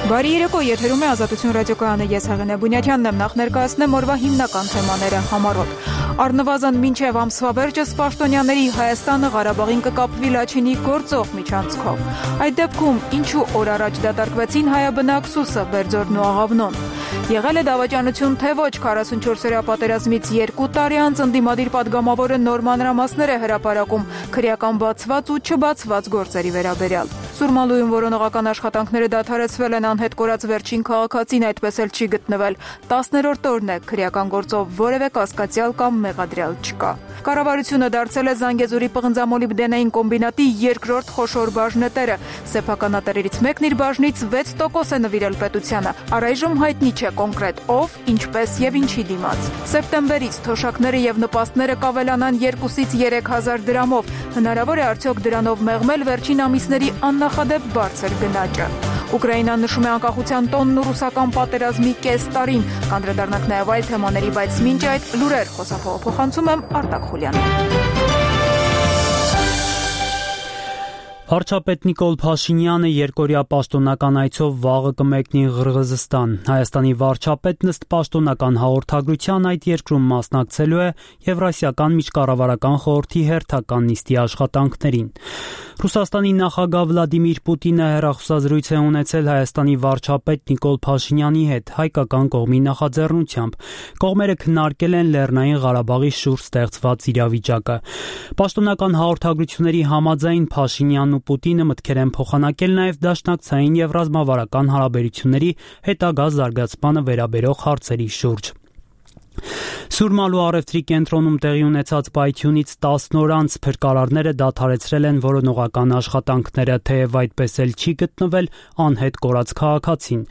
Բարի երեկո, եթերում է Ազատություն ռադիոկայանը, ես Հեղինե Բունյաթյանն եմ, նախ ներկայացնեմ օրվա հիմնական թեմաները համառոտ։ Առնվազն մինչև ամսվա վերջը Պաշտոնյաների Հայաստանը Ղարաբաղին կկապվի Լաչինի գործող միջանցքով։ Այդ դեպքում ինչու օր առաջ դատարկվեցին հայաբնակ Սուսը, Բերձորն ու Աղավնոն։ Եղել է դավաճանություն, թե ոչ 44-օրյա պատերազմից 2 տարի անց ընդդիմադիր պատգամավորը նոր մանրամասներ է հրապարակում քրեական բացված ու չբացված գործերի վերաբերյալ։ Սուրմալույում որոնողական աշխատանքները դադարեցվել են, անհետ կորած վերջին քաղաքացին այդպես էլ չի գտնվել։ 10-րդ օրն է, քրեական գործով որևէ կասկածյալ կամ մեղադրյալ չկա։ Կառավարությունը դարձել է Զանգեզուրի պղնձամոլիբդենային կոմբինատի երկրորդ խոշոր բաժնետերը։ Սեփականատերերից մեկն իր բաժնից 6% է նվիրել պետությանը։ Առայժմ հայտնի չէ կոնկրետ ով, ինչպես եւ ինչի դիմաց։ Սեպտեմբերից թոշակները եւ նպաստները կավելանան 2-ից 3,000 դրամով։ Հնարավոր է արդյոք դրանով մեղմել վերջին ամիսների աննախադեպ բարձր գնաճը։ Ուկրաինան նշում է անկախության տոնն ու ռուսական պատերազմի կես տարին։ Կանդրադառնանք նաև այլ թեմաների, բայց մինչ այդ լուրեր խոսափողը փոխանցում եմ Արտակ Խուլյանին։ Վարչապետ Նիկոլ Փաշինյանը երկօրյա պաշտոնական այցով վաղը կմեկնի Ղրղզստան։ Հայաստանի վարչապետն ըստ պաշտոնական հաղորդագրության այդ երկրում մասնակցելու է Եվրասիական միջկառավարական խորհրդի հերթական նիստի աշխատանքներին։ Ռուսաստանի նախագահ Վլադիմիր Պուտինը հեռախոսազրույց է ունեցել Հայաստանի վարչապետ Նիկոլ Փաշինյանի հետ հայկական կողմի նախաձեռնությամբ։ Կողմերը քննարկել են Լեռնային Ղարաբաղի շուրջ ստեղծված իրավիճակը։ Պաշտոնական հաղորդագրությունների համաձայն Փաշինյանն ու Պուտինը մտքեր են փոխանակել նաև դաշնակցային եւ ռազմավարական հարաբերությունների հետագա զարգացմանը վերաբերող հարցերի շուրջ։ Սուրմալու առևտրի կենտրոնում տեղի ունեցած պայթյունից 10 օր անց փրկարարները դադարեցրել են որոնողական աշխատանքները, թեև այդպես էլ չի գտնվել անհետ կորած քաղաքացին։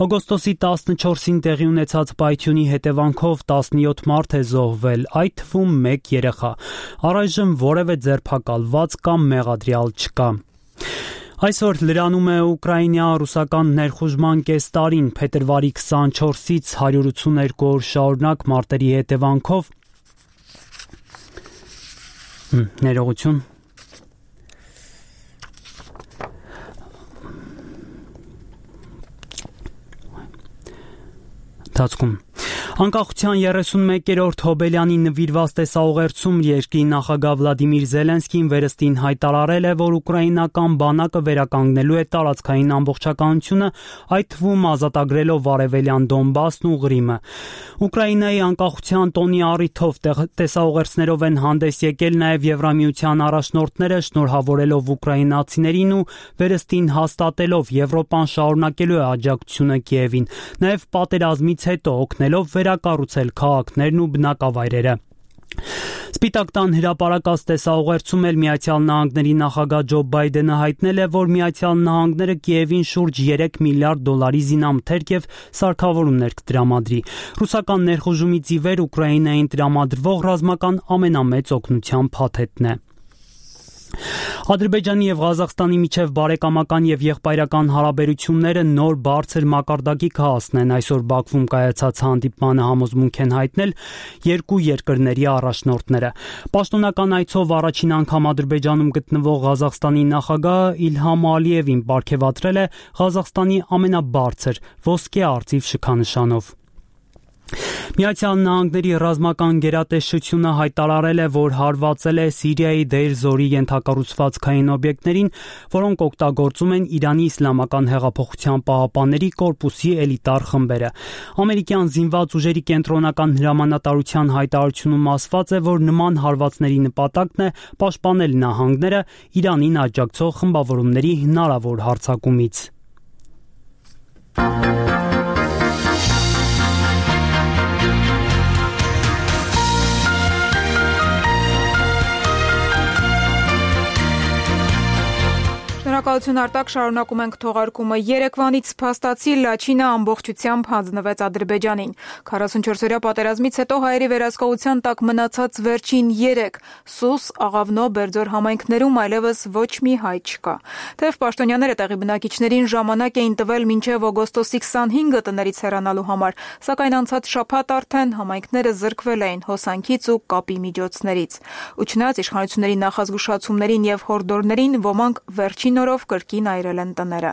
Օգոստոսի 14-ին տեղի ունեցած պայթյունի հետևանքով 17 մարդ է զոհվել, այդ թվում 1 երեխա։ Առայժմ որևէ ձերբակալված կամ մեղադրյալ չկա։ Այսօր լրանում է Ուկրաինա-ռուսական ներխուժման կես տարին, փետրվարի 24-ից 182 օր շարունակ մարտերի հետևանքով ներողություն Դասկում Անկախության 31-րդ հոբելյանի նվիրված տեսաուղերձում երկրի նախագահ Վլադիմիր Զելենսկին վերստին հայտարարել է, որ ուկրաինական բանակը վերականգնելու է տարածքային ամբողջականությունը, այդ թվում ազատագրելով արևելյան Դոնբասն ու Ղրիմը։ Ուկրաինայի անկախության տոնի առիթով տեսաուղերձներով են հանդես եկել նաև Եվրամիության առաջնորդները, շնորհավորելով ուկրաինացիներին ու վերստին հաստատելով Եվրոպան շարունակելու է աջակցությունը Կիևին, նաև պատերազմից հետո օգնելով վերակառուցել քաղաքներն ու բնակավայրերը։ Սպիտակ տան հրապարակած տեսաուղերձում էլ Միացյալ Նահանգների նախագահ Ջո Բայդենը հայտնել է, որ Միացյալ Նահանգները Կիևին շուրջ 3 միլիարդ դոլարի զինամթերք եւ սարքավորումներ կտրամադրի։ Ռուսական ներխուժումից ի վեր Ուկրաինային տրամադրվող ռազմական ամենամեծ օգնության փաթեթն է։ Ադրբեջանի եւ Ղազախստանի միջև բարեկամական եւ եղբայրական հարաբերությունները նոր բարձր մակարդակի կհասնեն։ Այսօր Բաքվում կայացած հանդիպմանը համոզմունք են հայտնել երկու երկրների առաջնորդները։ Պաշտոնական այցով առաջին անգամ Ադրբեջանում գտնվող Ղազախստանի նախագահը Իլհամ Ալիևին պարգևատրել է Ղազախստանի ամենաբարձր ոսկե արծիվ շքանշանով։ Միացյալ Նահանգների ռազմական գերատեսչությունը հայտարարել է, որ հարվածել է Սիրիայի Դեյր Զորի ենթակառուցվածքային օբյեկտներին, որոնք օգտագործում են Իրանի Իսլամական հեղափոխության պահապանների կորպուսի էլիտար խմբերը։ Ամերիկյան զինված ուժերի կենտրոնական հրամանատարության հայտարարությունում ասված է, որ նման հարվածների նպատակն է պաշտպանել նահանգները Իրանին աջակցող խմբավորումների հնարավոր հարձակումից։ Շնորհակալություն Արտակ, շարունակում ենք թողարկումը։ Երեկվանից փաստացի Լաչինը ամբողջությամբ հանձնվեց Ադրբեջանին։ 44-օրյա պատերազմից հետո հայերի վերահսկողության տակ մնացած վերջին 3 Սուս, Աղավնո, Բերձոր համայնքներում այլևս ոչ մի հայ չկա։ Թեև պաշտոնյաները տեղի բնակիչներին ժամանակ էին տվել մինչև օգոստոսի 25-ը տներից հեռանալու համար, սակայն անցած շաբաթ արդեն համայնքները զրկվել էին հոսանքից ու կապի միջոցներից։ Ու չնայած իշխանությունների նախազգուշացումներին եւ հորդորներին, ոմանք վերջին օրով կրկին այրել են տները։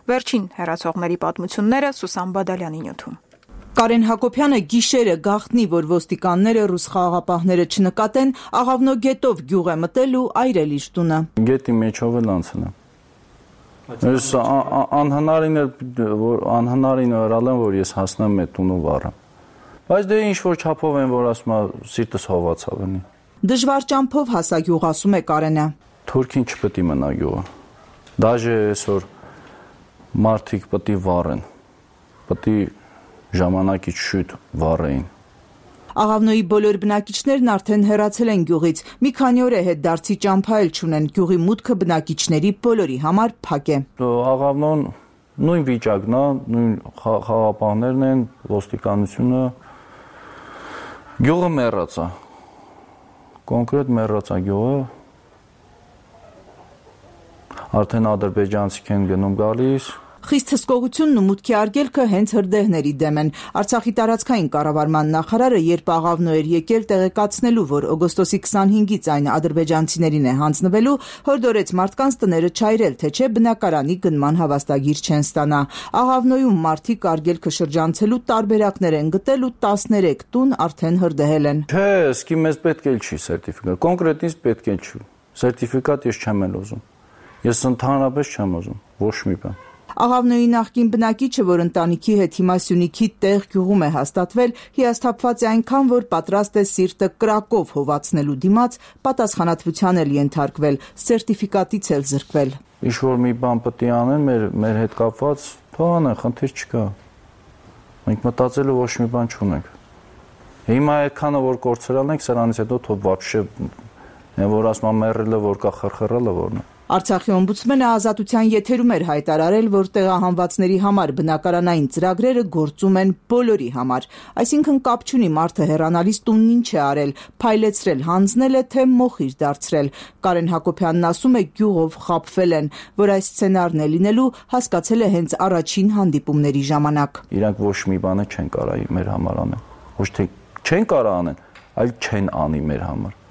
Վերջին հեռացողների պատմությունները Սուսան Բադալյանի նյութում։ Կարեն Հակոբյանը գիշերը գաղտնի, որ ոստիկանները ռուս խաղաղապահները չնկատեն, աղավնո գետով գյուղ է մտել ու այրել իր տունը։ Գետի մեջով էլ անցնեմ։ Անհնարին օրալ եմ, որ ես հասնեմ մեր տունու վառեմ։ Բայց դե ինչ-որ չափով են, որ ասում է սիրտս հովացավ ընի։ Դժվար ճամփով հասա գյուղ, ասում է Կարենը։ Թուրքին չպետք է մնա գյուղը։ Դաժե այսօր մարդիկ պետք է վառեն։ Պետք է ժամանակից շուտ վառեին։ Աղավնոյի բոլոր բնակիչներն արդեն հեռացել են գյուղից։ Մի քանի օր է հետդարձի ճամփա էլ չունեն։ Գյուղի մուտքը բնակիչների բոլորի համար փակ է։ Աղավնոն նույն վիճակն է, նույն խաղապահներն են, ոստիկանությունը։ Գյուղը մեռած է։ Կոնկրետ մեռած է գյուղը։ Արդեն ադրբեջանցիք են գնում գալիս։ Խիստ հսկողությունն ու մուտքի արգելքը հենց հրդեհների դեմ են։ Արցախի տարածքային կառավարման նախարարը, երբ Աղավնո էր եկել տեղեկացնելու, որ օգոստոսի 25-ից այն ադրբեջանցիներին է հանձնվելու, հորդորեց մարդկանց տները չայրել, թե չէ բնակարանի գնման հավաստագիր չեն ստանա։ Աղավնոյում մարդիկ արգելքը շրջանցելու տարբերակներ են գտել ու 13 տուն արդեն հրդեհել են։ Չէ, սկի մեզ պետք էլ չի սերտիֆիկատ։ Կոնկրետ ինձ պետք էլ չի։ Սերտիֆիկատ ես չեմ էլ ուզում։ Ես ընդհանրապես չեմ ուզում, ոչ մի բան։ Աղավնոյի նախկին բնակիչը, որ ընտանիքի հետ հիմա Սյունիքի տեղ գյուղում է հաստատվել, հիասթափված է այնքան, որ պատրաստ է սիրտը կրակով հովացնելու դիմաց, պատասխանատվության էլ ենթարկվել, սերտիֆիկատից էլ զրկվել։ Ինչ-որ մի բան պետք է անեն մեր հետ կապված, թող անեն, խնդիր չկա։ Մենք մտածելու ոչ մի բան չունենք։ Հիմա այդքանը որ կորցրել ենք, սրանից հետո թող вообще որ ասում մեռելը որ կա խրխռելը որն է։ Արցախի օմբուդսմենը ազատության եթերում էր հայտարարել, որ տեղահանվածների համար բնակարանային ծրագրերը գործում են բոլորի համար, այսինքն կապ չունի մարդը հեռանալիս տունն ինչ է արել, փայլեցրել, հանձնել է, թե մոխիր դարձրել։ Կարեն Հակոբյանն ասում է, գյուղով խաբվել են, որ այս սցենարն է լինելու, հասկացել է հենց առաջին հանդիպումների ժամանակ։ Իրանք ոչ մի բան չեն կարող մեր համար անել, ոչ թե չեն կարող անեն, այլ չեն անի մեր համար։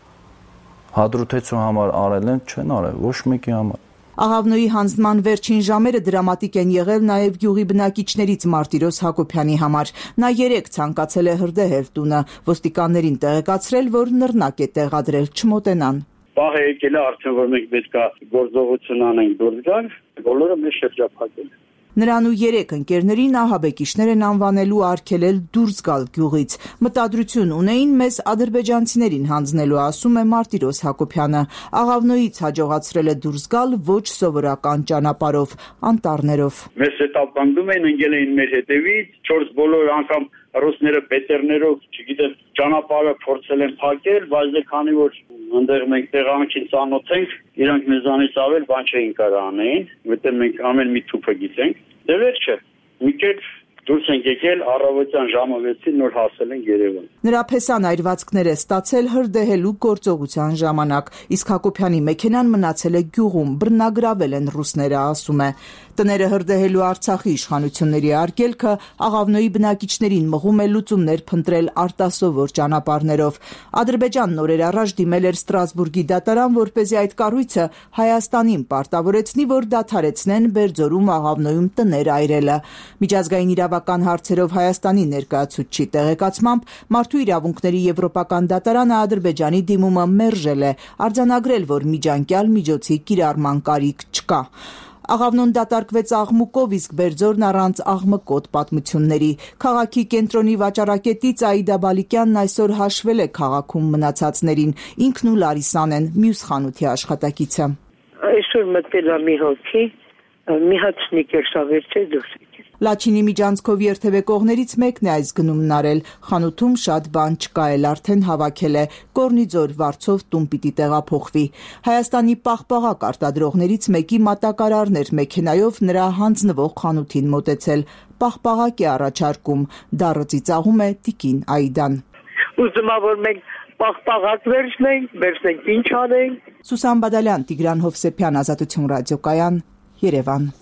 Հադրութեցու համար արել են, չեն արել, ոչ մեկի համար։ Աղավնոյի հանձնման վերջին ժամերը դրամատիկ են եղել նաև գյուղի բնակիչներից Մարտիրոս Հակոբյանի համար։ Նա 3 ցանկացել է հրդեհել տունը, ոստիկաններին տեղեկացրել, որ նռնակ է տեղադրել, չմոտենան։ Պահ է եկել է արդեն, որ մենք պետք է գործողություն անենք դուրս գալ, բոլորը մեզ շրջափակել։ Նրան ու 3 ընկերներին ահաբեկիչներ են անվանելու արգելել դուրս գալ գյուղից։ Մտադրություն ունեին մեզ ադրբեջանցիներին հանձնելու, ասում է Մարտիրոս Հակոբյանը։ Աղավնոյից հաջողացրել է դուրս գալ ոչ սովորական ճանապարհով, անտառներով։ Մեզ հետապնդում են, ընկել էին մեր հետևից, 4 բոլոր անգամ ռուսները բետերներով, չգիտեմ, ճանապարհը փորձել են փակել, բայց դե քանի որ այնտեղ մենք տեղանքին ծանոթ ենք, իրանք մեզանից ավել բան չէին կարող անեին, որտեղ մենք ամեն մի թուփը գիտենք։ Դե վերջը, մի կերպ դուրս ենք եկել, առավոտյան ժամը 6-ին նոր հասել ենք Երևան։ Նրա փեսան այրվածքներ է ստացել հրդեհելու գործողության ժամանակ, իսկ Հակոբյանի մեքենան մնացել է գյուղում, բռնագրավել են ռուսները, ասում է։ Տները հրդեհելու Արցախի իշխանությունների արգելքը Աղավնոյի բնակիչներին մղում է լուծումներ փնտրել արտասովոր ճանապարհներով։ Ադրբեջանն օրեր առաջ դիմել էր Ստրասբուրգի դատարան, որպեսզի այդ կառույցը Հայաստանին պարտավորեցնի, որ դադարեցնեն Բերձորում Աղավնոյում տներ այրելը։ Միջազգային իրավական հարցերով Հայաստանի ներկայացուցչի տեղեկացմամբ Մարդու իրավունքների եվրոպական դատարանը Ադրբեջանի դիմումը մերժել է, արձանագրել, որ միջանկյալ միջոցի կիրառման կարիք չկա։ Աղավնոն դատարկվեց աղմուկով, իսկ Բերձորն առանց աղմկոտ պատմությունների։ Քաղաքի կենտրոնի վաճառակետից Աիդա Բալիկյանն այսօր հաշվել է քաղաքում մնացածներին, ինքն ու Լարիսան են մյուս խանութի աշխատակիցը։ Այսօր մտել է մի հոգի, մի հատ սնիկեր սավերցել դուրս եկել։ Լաչինի միջանցքով երթևեկողներից մեկն է այս գնումն արել։ Խանութում շատ բան չկա էլ, արդեն հավաքել է։ Կորնիձոր վարձով տուն պիտի տեղափոխվի։ Հայաստանի պաղպաղակ արտադրողներից մեկի մատակարարն էր մեքենայով նրա հանձնվող խանութին մոտեցել։ Պաղպաղակ է առաջարկում, դառը ծիծաղում է տիկին Աիդան։ Ուզում եմ, որ մենք պաղպաղակ վերցնենք, ինչ անենք։ Սուսան Բադալյան, Տիգրան Հովսեփյան, Ազատություն ռադիոկայան, Երևան։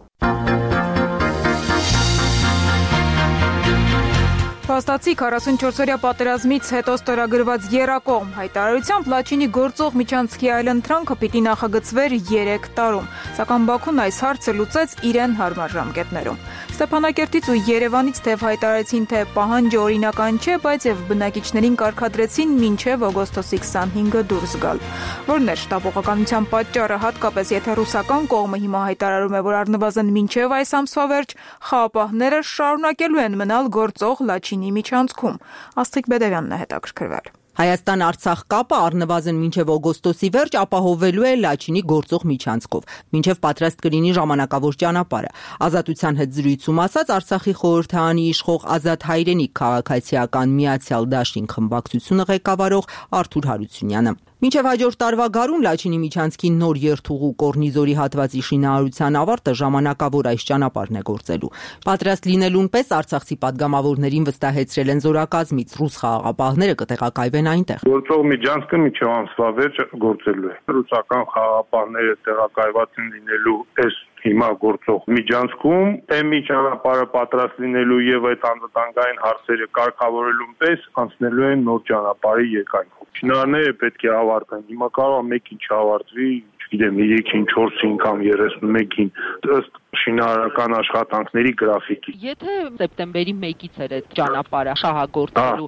փաստացի 44-օրյա պատերազմից հետո ստորագրված եռակողմ հայտարարությամբ Լաչինի գործող միջանցքի այլընտրանքը պիտի նախագծվեր 3 տարում, սակայն Բաքուն այս հարցը լուծեց իրեն հարմար ժամկետներում։ Ստեփանակերտից ու Երևանից թեև հայտարարեցին, թե պահանջը օրինական չէ, բայց եւ բնակիչներին կարգադրեցին մինչեւ օգոստոսի 25-ը դուրս գալ։ Որն էր շտապողականության պատճառը, հատկապես եթե ռուսական կողմը հիմա հայտարարում է, որ առնվազն մինչեւ այս ամսվա վերջ խաղապահները շարունակելու են մնալ գործող Լաչինի միջանցքում։ Աստղիկ Բեդևյանն է հետաքրքրվել։ Հայաստան-Արցախ կապը առնվազն մինչև օգոստոսի վերջ ապահովելու է Լաչինի գործող միջանցքով, մինչև պատրաստ կլինի ժամանակավոր ճանապարհը։ Ազատության հետ զրույցում ասաց Արցախի խորհրդարանի իշխող Ազատ Հայրենիք քաղաքացիական Միացյալ Դաշինք խմբակցությունը ղեկավարող Արթուր Հարությունյանը։ Մինչև հաջորդ տարվա գարուն Լաչինի միջանցքի նոր երթուղու Կորնիզորի հատվածի շինարարության ավարտը ժամանակավոր այս ճանապարհն է գործելու։ Պատրաստ լինելուն պես արցախցի падգամավորներին վստահեցրել են զորակազմից, ռուս խաղաղապահները կտեղակայվեն այնտեղ։ Գործող միջանցքը մինչև ամսվա վերջ գործելու է։ Ռուսական խաղաղապահները տեղակայված են լինելու այս հիմա գործող միջանցքում, էմի ճանապարհը պատրաստ լինելու եւ այդ անվտանգային հարցերը կարգավորելուն պես անցնելու են նոր ճանապարհի երկայնքով։ Շինարարները պետք է ավարտեն։ Հիմա կարող է մեկին չավարտվի, չգիտեմ, 3-ին, 4-ին կամ 31-ին ըստ շինարարական աշխատանքների գրաֆիկի։ Եթե սեպտեմբերի 1-ից էր այդ ճանապարհը շահագործելու,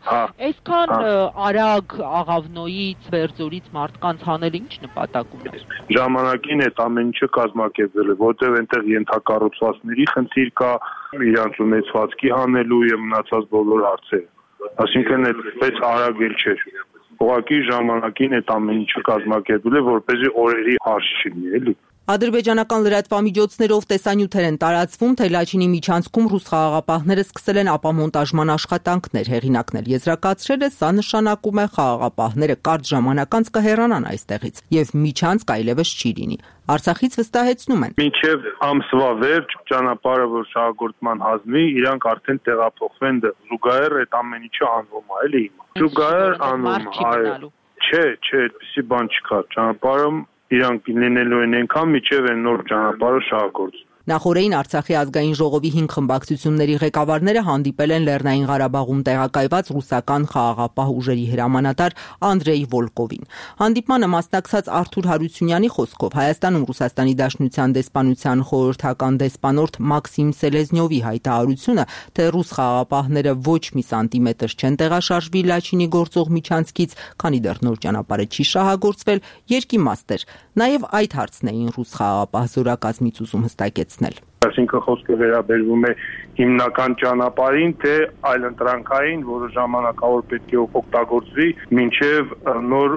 այսքան արագ Աղավնոյից, Բերձորից մարդկանց հանելը ինչ նպատակ ուներ։ Ժամանակին այդ ամեն ինչը կազմակերպվել է, որտեղ այնտեղ ենթակառուցվածքների խնդիր կա, իրանց ունեցվածքի հանելու եւ մնացած բոլոր հարցերը։ Այսինքն այդպես արագ էլ չէր։ Ուղղակի ժամանակին այդ ամեն ինչը կազմակերպվել է, որպեսզի օրերի հարց չլինի, էլի։ Ադրբեջանական լրատվամիջոցներով տեսանյութեր են տարածվում, թե Լաչինի միջանցքում ռուս խաղաղապահները սկսել են ապամոնտաժման աշխատանքներ։ Հեղինակն էլ եզրակացրել է, սա նշանակում է խաղաղապահները կարճ ժամանակ անց կհեռանան այստեղից եւ միջանցք այլևս չի լինի։ Արցախից վստահեցնում են. Մինչև ամսվա վերջ ճանապարհը որ շահագործման հանձնվի, իրանք արդեն տեղափոխվեն դեռ։ Զուգահեռ այդ ամեն ինչը անվում է, էլի հիմա։ Զուգահեռ անվում է, այո։ Չէ, այդպեսի բան չկա։ Ճանապարհը իրանք լինելու են այնքան, մինչև այն նոր ճանապարհը շահագործվի։ Նախորդին Արցախի ազգային ժողովի 5 խմբակցությունների ղեկավարները հանդիպել են Լեռնային Ղարաբաղում տեղակայված ռուսական խաղաղապահ ուժերի հրամանատար Անդրեյ Վոլկովին։ Հանդիպմանը մասնակցած Արթուր Հարությունյանի խոսքով Հայաստանում Ռուսաստանի Դաշնության դեսպանության խորհրդական դեսպանորդ Մաքսիմ Սելեզնյովի հայտարարությունը, թե ռուս խաղաղապահները ոչ մի սանտիմետր չեն տեղաշարժվի Լաչինի գործող միջանցքից, քանի դեռ նոր ճանապարհը չի շահագործվել, երկիմաստ էր։ Նաև այդ հարցն էին ռուս խաղաղապահ զորակազմից ուզում հստակեցնել։ Այսինքն խոսքը վերաբերվում է հիմնական ճանապարհին, թե այլընտրանքային, որը ժամանակավոր պետք է օգտագործվի մինչև նոր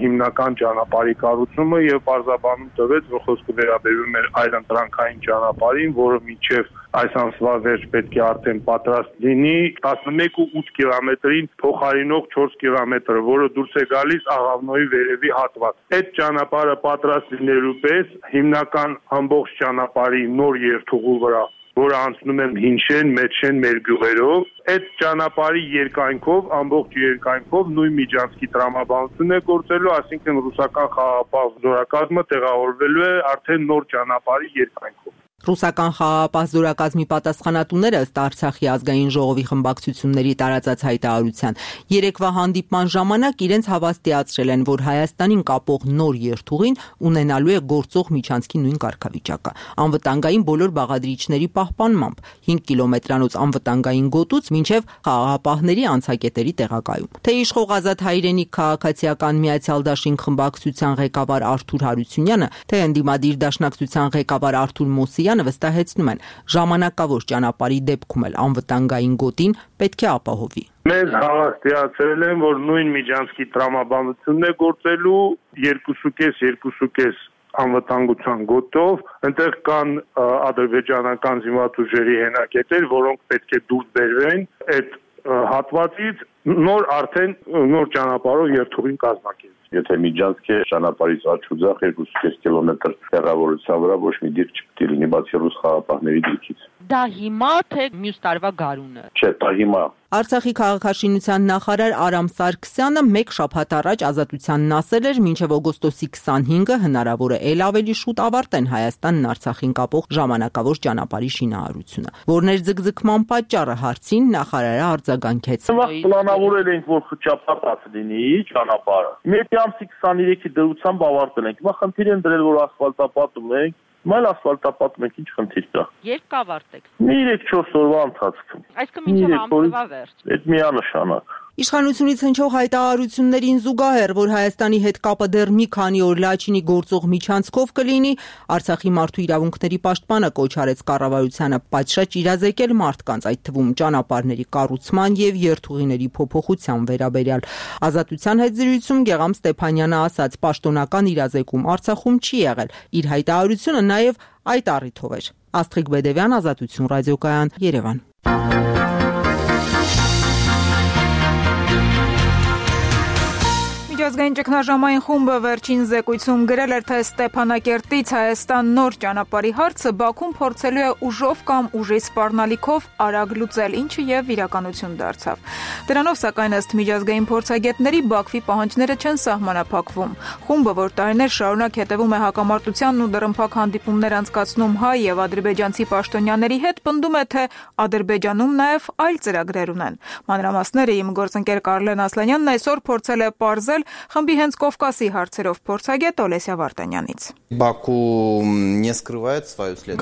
հիմնական ճանապարհի կառուցումը եւ պարզաբանում տվեց, որ խոսքը վերաբերվում է այլընտրանքային ճանապարհին, որը մինչև այս ամսվա վերջ պետք է արդեն պատրաստ լինի 11.8 կիլոմետրին փոխարինող 4 կիլոմետրը, որը դուրս է գալիս Աղավնոյի վերևի հատված։ Այդ ճանապարհը պատրաստ լինելու պես հիմնական ամբողջ ճանապարհի նոր երթուղու վրա, որը անցնում է Հինշեն, Մեջշեն, մեր գյուղերով, այդ ճանապարհի երկայնքով, ամբողջ երկայնքով նույն միջանցքի տրամաբանություն է գործելու, այսինքն ռուսական խաղաղապահ զորակազմը տեղավորվելու է արդեն նոր ճանապարհի երկայնքով։ Ռուսական խաղաղապահ զորակազմի պատասխանատուները ըստ Արցախի ազգային ժողովի խմբակցությունների տարածած հայտարարության երեկվա հանդիպման ժամանակ իրենց հավաստիացրել են, որ Հայաստանին կապող նոր երթուղին ունենալու է գործող միջանցքի նույն կարգավիճակը, անվտանգային բոլոր բաղադրիչների պահպանմամբ, 5 կիլոմետրանոց անվտանգային գոտուց մինչև խաղաղապահների անցակետերի տեղակայում։ Թե իշխող Ազատ Հայրենիք քաղաքացիական Միացյալ Դաշինք խմբակցության ղեկավար Արթուր Հարությունյանը, թե ընդդիմադիր դաշնակցության ղեկավար Արթուր Մոսիյանը վստահեցնում են, ժամանակավոր ճանապարհի դեպքում էլ անվտանգային գոտին պետք է ապահովի։ Մեզ հավաստիացրել են, որ նույն միջանցքի տրամաբանությունն է գործելու 2.5 անվտանգության գոտով, այնտեղ կան ադրբեջանական զինված ուժերի հենակետեր, որոնք պետք է դուրս բերվեն այդ հատվածից, նոր ճանապարհով երթուղին կազմակերպել։ Եթե միջանցքը ճանապարհից աչուձախ 2.5 կիլոմետր տեղավորության վրա ոչ մի դիրք չպետք է լինի, բացի ռուս խաղաղապահների դիրքից։ Դա հիմա թե մյուս տարվա գարունը։ Չէ, դա հիմա։ Արցախի քաղաքաշինության նախարար Արամ Սարգսյանը մեկ շաբաթ առաջ Ազատությանն ասել էր, մինչև օգոստոսի 25-ը հնարավոր է ել ավելի շուտ ավարտեն Հայաստանն Արցախին կապող ժամանակավոր ճանապարհի շինարարությունը։ Որներ ձգձգման պատճառը հարցին նախարարը արձագանքեց։ Պլանավորել ենք, որ խճապատած լինի ճանապարհը։ Մեկի ամսի 23-ի դրությամբ ավարտել ենք։ Հիմա խնդիր են դրել, որ ասֆալտապատում ենք։ Մայլ ասֆալտապատում ենք, ինչ խնդիր կա։ Երբ կավարտեք։ 3-4 օրվա ընթացքում։ Այսինքն մինչև ամսվա վերջ։ Այդ միանշանակ։ Իշխանությունից հնչող հայտարարություններին զուգահեռ, որ Հայաստանի հետ կապը դեռ մի քանի օր Լաչինի գործող միջանցքով կլինի, Արցախի մարդու իրավունքների պաշտպանը կոչ արեց կառավարությանը պատշաճ իրազեկել մարդկանց, այդ թվում ճանապարհների կառուցման եւ երթուղիների փոփոխության վերաբերյալ։ Ազատության հետ զրույցում Գեգամ Ստեփանյանը ասաց, պաշտոնական իրազեկում Արցախում չի եղել։ Իր հայտարարությունը նաեւ այդ առիթով էր։ Աստղիկ Բեդևյան, Ազատություն ռադիոկայան, Երևան։ Միջազգային ճգնաժամային խումբը վերջին զեկույցում գրել էր, թե Ստեփանակերտից Հայաստան նոր ճանապարհի հարցը Բաքուն փորձելու է ուժով կամ ուժի սպառնալիքով արագ լուծել, ինչը եւ իրականություն դարձավ։ Դրանով, սակայն, ըստ միջազգային փորձագետների, Բաքվի պահանջները չեն սահմանափակվում։ Խումբը, որ տարիներ շարունակ հետևում է հակամարտությանն ու դռնփակ հանդիպումներ անցկացնում հայ եւ ադրբեջանցի պաշտոնյաների հետ, պնդում է, թե Ադրբեջանում նաեւ այլ ծրագրեր ունեն։ Մանրամասները իմ գործընկեր Կարլեն Ասլանյանն այսօր փորձել է պարզել խմբի հենց Կովկասի հարցերով փորձագետ Օլեսիա Վարդանյանից։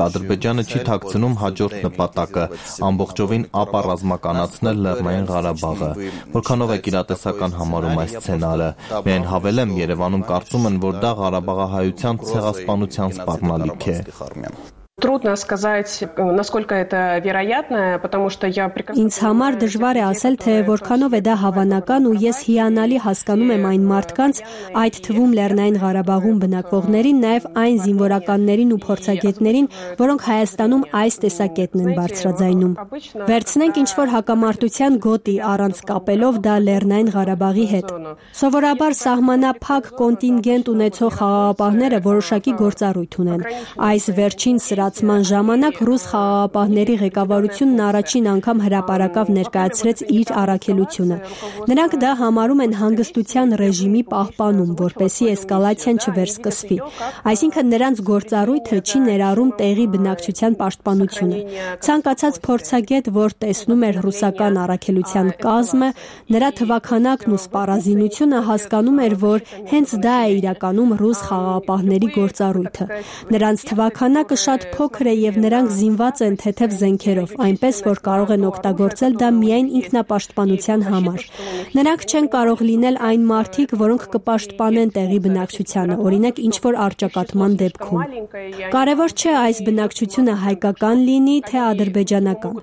Ադրբեջանը չի թաքցնում հաջորդ նպատակը՝ ամբողջովին ապառազմականացնել Լեռնային Ղարաբաղը։ Որքանով է իրատեսական համարում այս սցենարը։ Միայն հավելեմ, Երևանում կարծում են, որ դա Ղարաբաղահայության ցեղասպանության սպառնալիք է։ Трудно сказать, насколько это вероятно, потому что я прекрасно... Ինձ համար դժվար է ասել, թե որքանով է դա հավանական ու ես հիանալի հասկանում եմ այն մարդկանց, այդ թվում Լեռնային Ղարաբաղում բնակվողներին, նաև այն զինվորականներին ու փորձագետներին, որոնք Հայաստանում այս տեսակետն են բարձրաձայնում։ Վերցնենք ինչ-որ հակամարտության գոտի առանց կապելով դա Լեռնային Ղարաբաղի հետ։ Սովորաբար սահմանափակ կոնտինգենտ ունեցող խաղաղապահները որոշակի գործառույթ ունեն։ Այս վերջին Սրացման ժամանակ ռուս խաղաղապահների ղեկավարությունն առաջին անգամ հրապարակավ ներկայացրեց իր առաքելությունը։ Նրանք դա համարում են հանգստության ռեժիմի պահպանում, որպեսզի էսկալացիան չվերսկսվի։ Այսինքն նրանց գործառույթը չի ներառում տեղի բնակչության պաշտպանությունը։ Ցանկացած փորձագետ, որ տեսնում էր ռուսական առաքելության կազմը, նրա թվաքանակն ու սպառազինությունը հասկանում էր, որ հենց դա է իրականում ռուս խաղաղապահների գործառույթը։ Նրանց թվաքանակը շատ փոքր է եւ նրանք զինված են թեթև զենքերով, այնպես որ կարող են օգտագործել դա միայն ինքնապաշտպանության համար։ Նրանք չեն կարող լինել այն մարդիկ, որոնք կպաշտպանեն տեղի բնակչությանը, օրինակ ինչ-որ առճակատման դեպքում։ Կարևոր չէ այս բնակչությունը հայկական լինի, թե ադրբեջանական։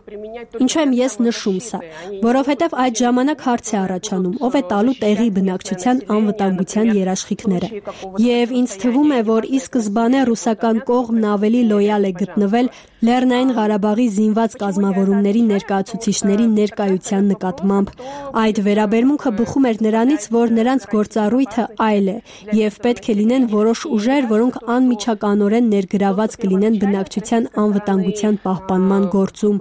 Ինչու եմ ես նշում սա, որովհետև այդ ժամանակ հարց է առաջանում, ով է տալու տեղի բնակչության անվտանգության երաշխիքները։ Եվ ինձ թվում է, որ ի սկզբանե ռուսական կողմն ավելի լոյալ է գտնվել Լեռնային Ղարաբաղի զինված կազմավորումների ներկայացուցիչների ներկայության նկատմամբ։ Այդ վերաբերմունքը բխում էր նրանից, որ նրանց գործառույթը այլ է եւ պետք է լինեն որոշ ուժեր, որոնք անմիջականորեն ներգրաված կլինեն բնակչության անվտանգության պահպանման գործում։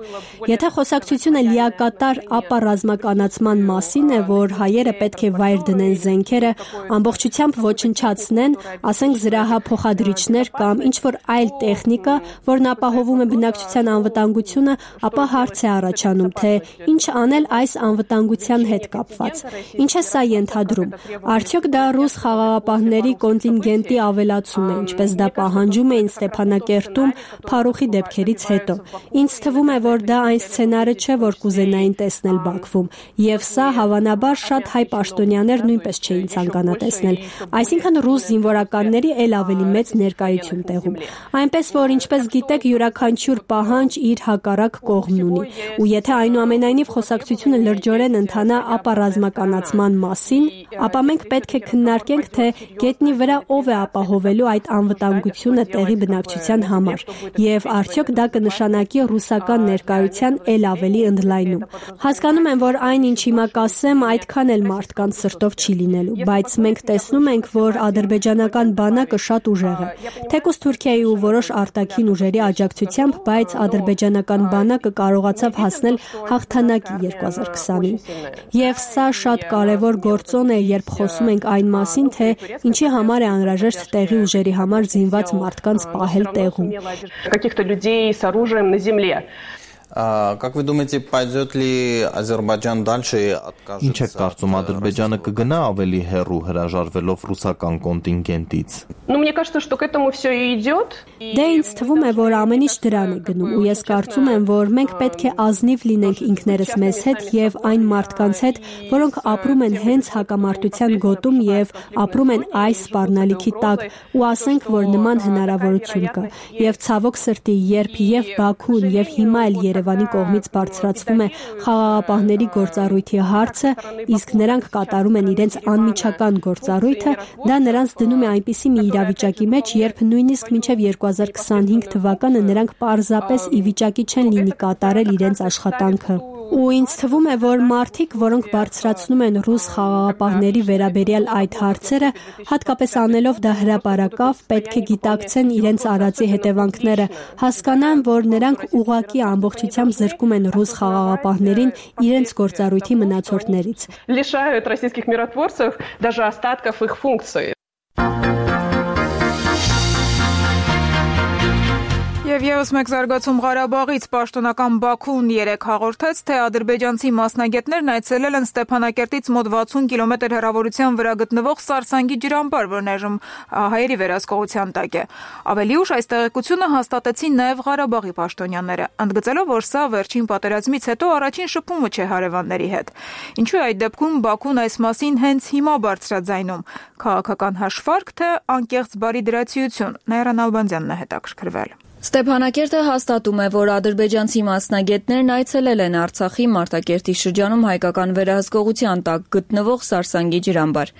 Եթե խոսակցությունը լիակատար ապառազմականացման մասին է, որ հայերը պետք է վայր դնեն զենքերը, ամբողջությամբ ոչնչացնեն, ասենք զրահափոխադրիչներ կամ ինչ-որ այլ տեխնիկա, որն ապահովում է բնակչության անվտանգությունը, ապա հարց է առաջանում, թե ինչ անել այս անվտանգության հետ կապված։ Ինչ է սա ենթադրում։ Արդյոք դա ռուս խաղաղապահների կոնտինգենտի ավելացում է, ինչպես դա պահանջում էին Ստեփանակերտում Փարուխի դեպքերից հետո։ Ինձ թվում է, որ դա այն սցենարը չէ, որ կուզենային տեսնել Բաքվում, եւ սա հավանաբար շատ հայ պաշտոնյաներ նույնպես չէին ցանկանա տեսնել։ Այսինքն ռուս զինվորականների ել ավելի մեծ ներկայություն տեղում։ Այնպես որ ինչպես գիտեք, յուրաքանչյուր պահանջ իր հակառակ կողմն ունի, ու եթե այնուամենայնիվ խոսակցությունը լրջորեն ընթանա ապառազմականացման մասին, ապա մենք պետք է քննարկենք, թե գետնի վրա ով է ապահովելու այդ անվտանգությունը տեղի բնակչության համար, եւ արդյոք դա կնշանակի ռուսական ներկայության ել ավելի ընդլայնում։ Հասկանում եմ, որ այն, ինչ հիմա կասեմ, այդքան էլ մարդկանց սրտով չի լինելու, բայց մենք տեսնում ենք, որ ադրբեջանական բանակը շատ ուժեղ է։ Թեկուզ Թուրքիայի ու որոշ արտաքին ուժերի աջակցությամբ, բայց ադրբեջանական բանակը կարողացավ հասնել հաղթանակի 2020-ին։ Եվ սա շատ կարևոր գործոն է, երբ խոսում ենք այն մասին, թե ինչի համար է անհրաժեշտ տեղի ուժերի համար զինված մարդկանց պահել տեղում։ Каких-то людей с оружием на земле. Как вы думаете, пойдет ли Азербайджан дальше откажется? Ինչ եք կարծում, Ադրբեջանը կգնա ավելի հեռու հրաժարվելով ռուսական կոնտինգենտից? Ну, мне кажется, что к этому все и идет. Դե ինձ թվում է, որ ամեն ինչ դրան է գնում, ու ես կարծում եմ, որ մենք պետք է ազնիվ լինենք ինքներս մեզ հետ եւ այն մարդկանց հետ, որոնք ապրում են հենց հակամարտության գոտում եւ ապրում են այս սպառնալիքի տակ, ու ասենք, որ նման հնարավորություն կա։ Եվ ցավոք սրտի, երբ եւ Բաքուն եւ հիմա էլ Երևանի կողմից բարձրացվում է խաղաղապահների գործառույթի հարցը, իսկ նրանք կատարում են իրենց անմիջական գործառույթը, դա նրանց դնում է այնպիսի մի իրավիճակի մեջ, երբ նույնիսկ մինչև 2025 թվականը նրանք պարզապես ի վիճակի չեն լինի կատարել իրենց աշխատանքը։ Ու ինձ թվում է, որ մարդիկ, որոնք բարձրացնում են ռուս խաղաղապահների վերաբերյալ այդ հարցերը, հատկապես անելով դա հրապարակավ, պետք է գիտակցեն իրենց արածի հետևանքները, հասկանան, որ նրանք ուղղակի ամբողջությամբ զրկում են ռուս խաղաղապահներին իրենց գործառույթի մնացորդներից։ Лишают российских миротворцев даже остатков их функций. Եվ ևս մեկ զարգացում Ղարաբաղից պաշտոնական Բաքուն 3 հաղորդեց, թե ադրբեջանցի մասնագետներն այցելել են Ստեփանակերտից մոտ 60 կիլոմետր հեռավորության վրա գտնվող Սարսանգի ջրամբար, որն այժմ հայերի վերահսկողության տակ է։ Ավելի ուշ այս տեղեկությունը հաստատեցին նաև Ղարաբաղի պաշտոնյաները, ընդգծելով, որ սա վերջին պատերազմից հետո առաջին շփումը չէ հարևանների հետ։ Ինչու է այդ դեպքում Բաքուն այս մասին հենց հիմա բարձրաձայնում, քաղաքական հաշվարկ, թե անկեղծ բարիդրացիություն, Նաիրա Նալբանդյանն է հետաքրքրվել։ Ստեփանակերտը հաստատում է, որ ադրբեջանցի մասնագետներն այցելել են Արցախի Մարտակերտի շրջանում հայկական վերահսկողության տակ գտնվող Սարսանգի ջրամբար։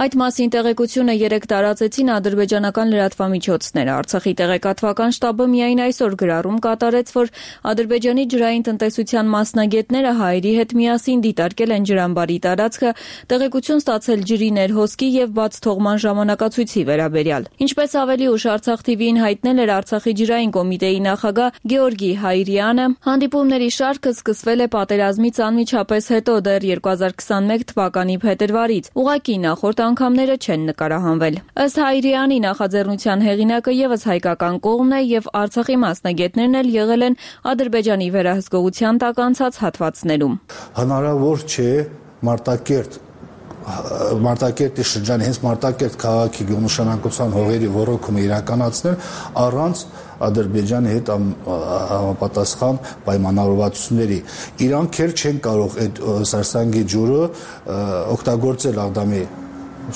Այդ մասին տեղեկությունը 3 տարածեցին ադրբեջանական լրատվամիջոցները։ Արցախի տեղեկատվական շտաբը միայն այսօր գրառում կատարեց, որ Ադրբեջանի ջրային տնտեսության մասնագետները հայերի հետ միասին դիտարկել են ջրամբարի տարածքը, տեղեկություն ստացել ջրի ներհոսքի եւ բաց թողման ժամանակացույցի վերաբերյալ։ Ինչպես ավելի ուշ Արցախ TV-ին հայտնել էր Արցախի ջրային կոմիտեի նախագահ Գեորգի Հայրյանը, հանդիպումների շարքը սկսվել է պատերազմից անմիջապես հետո դեռ 2021 թվականի փետրվարից, ուղղակի նախորդ անգամները չեն նկարահանվել։ Ըստ Հայրյանի նախաձեռնության հեղինակը եւս հայկական կողմն է եւ Արցախի մասնագետներն էլ եղել են Ադրբեջանի վերահսկողության տակ անցած հատվածներում։ Հնարավոր չէ Մարտակերտի շրջանի հենց Մարտակերտ քաղաքի գյուղնշանակության հողերի ոռոգումը իրականացնել առանց Ադրբեջանի հետ համապատասխան պայմանավորվածությունների։ Իրանք էլ չեն կարող այդ Սարսանգի ջուրը օգտագործել Աղդամի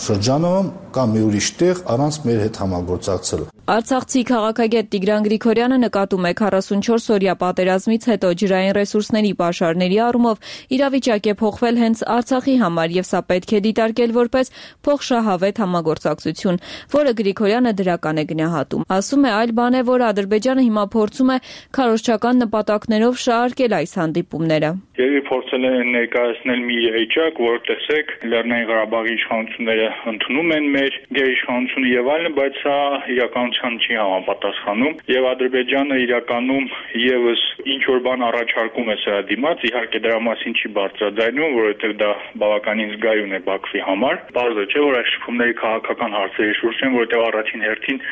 շրջանում կամ մի ուրիշ տեղ առանց մեր հետ համագործակցելու։ Արցախցի քաղաքագետ Տիգրան Գրիգորյանը նկատում է 44-օրյա պատերազմից հետո ջրային ռեսուրսների պաշարների առումով իրավիճակ է փոխվել հենց Արցախի համար եւ սա պետք է դիտարկել որպես փոխշահավետ համագործակցություն, որը Գրիգորյանը դրական է գնահատում։ Ասում է, այլ բան է, որ Ադրբեջանը հիմա փորձում է քարոզչական նպատակներով շահարկել այս հանդիպումները։ Եվ փորձել են ներկայացնել մի էջակ, որ տեսեք Լեռնային Ղարաբաղի իշխանությունները ընդունում են մեր գերիշխանությունը եւ այլն, բայց սա իրականության չի համապատասխանում եւ Ադրբեջանը իրականում եւս ինչ որ բան առաջարկում է սրա դիմաց, իհարկե դրա մասին չի բարձրաձայնում, որովհետեւ դա բավականին զգայուն է Բաքվի համար։ Բարձր չէ, որ այս շփումների քաղաքական հարցերի շուրջ են, որովհետեւ առաջին հերթին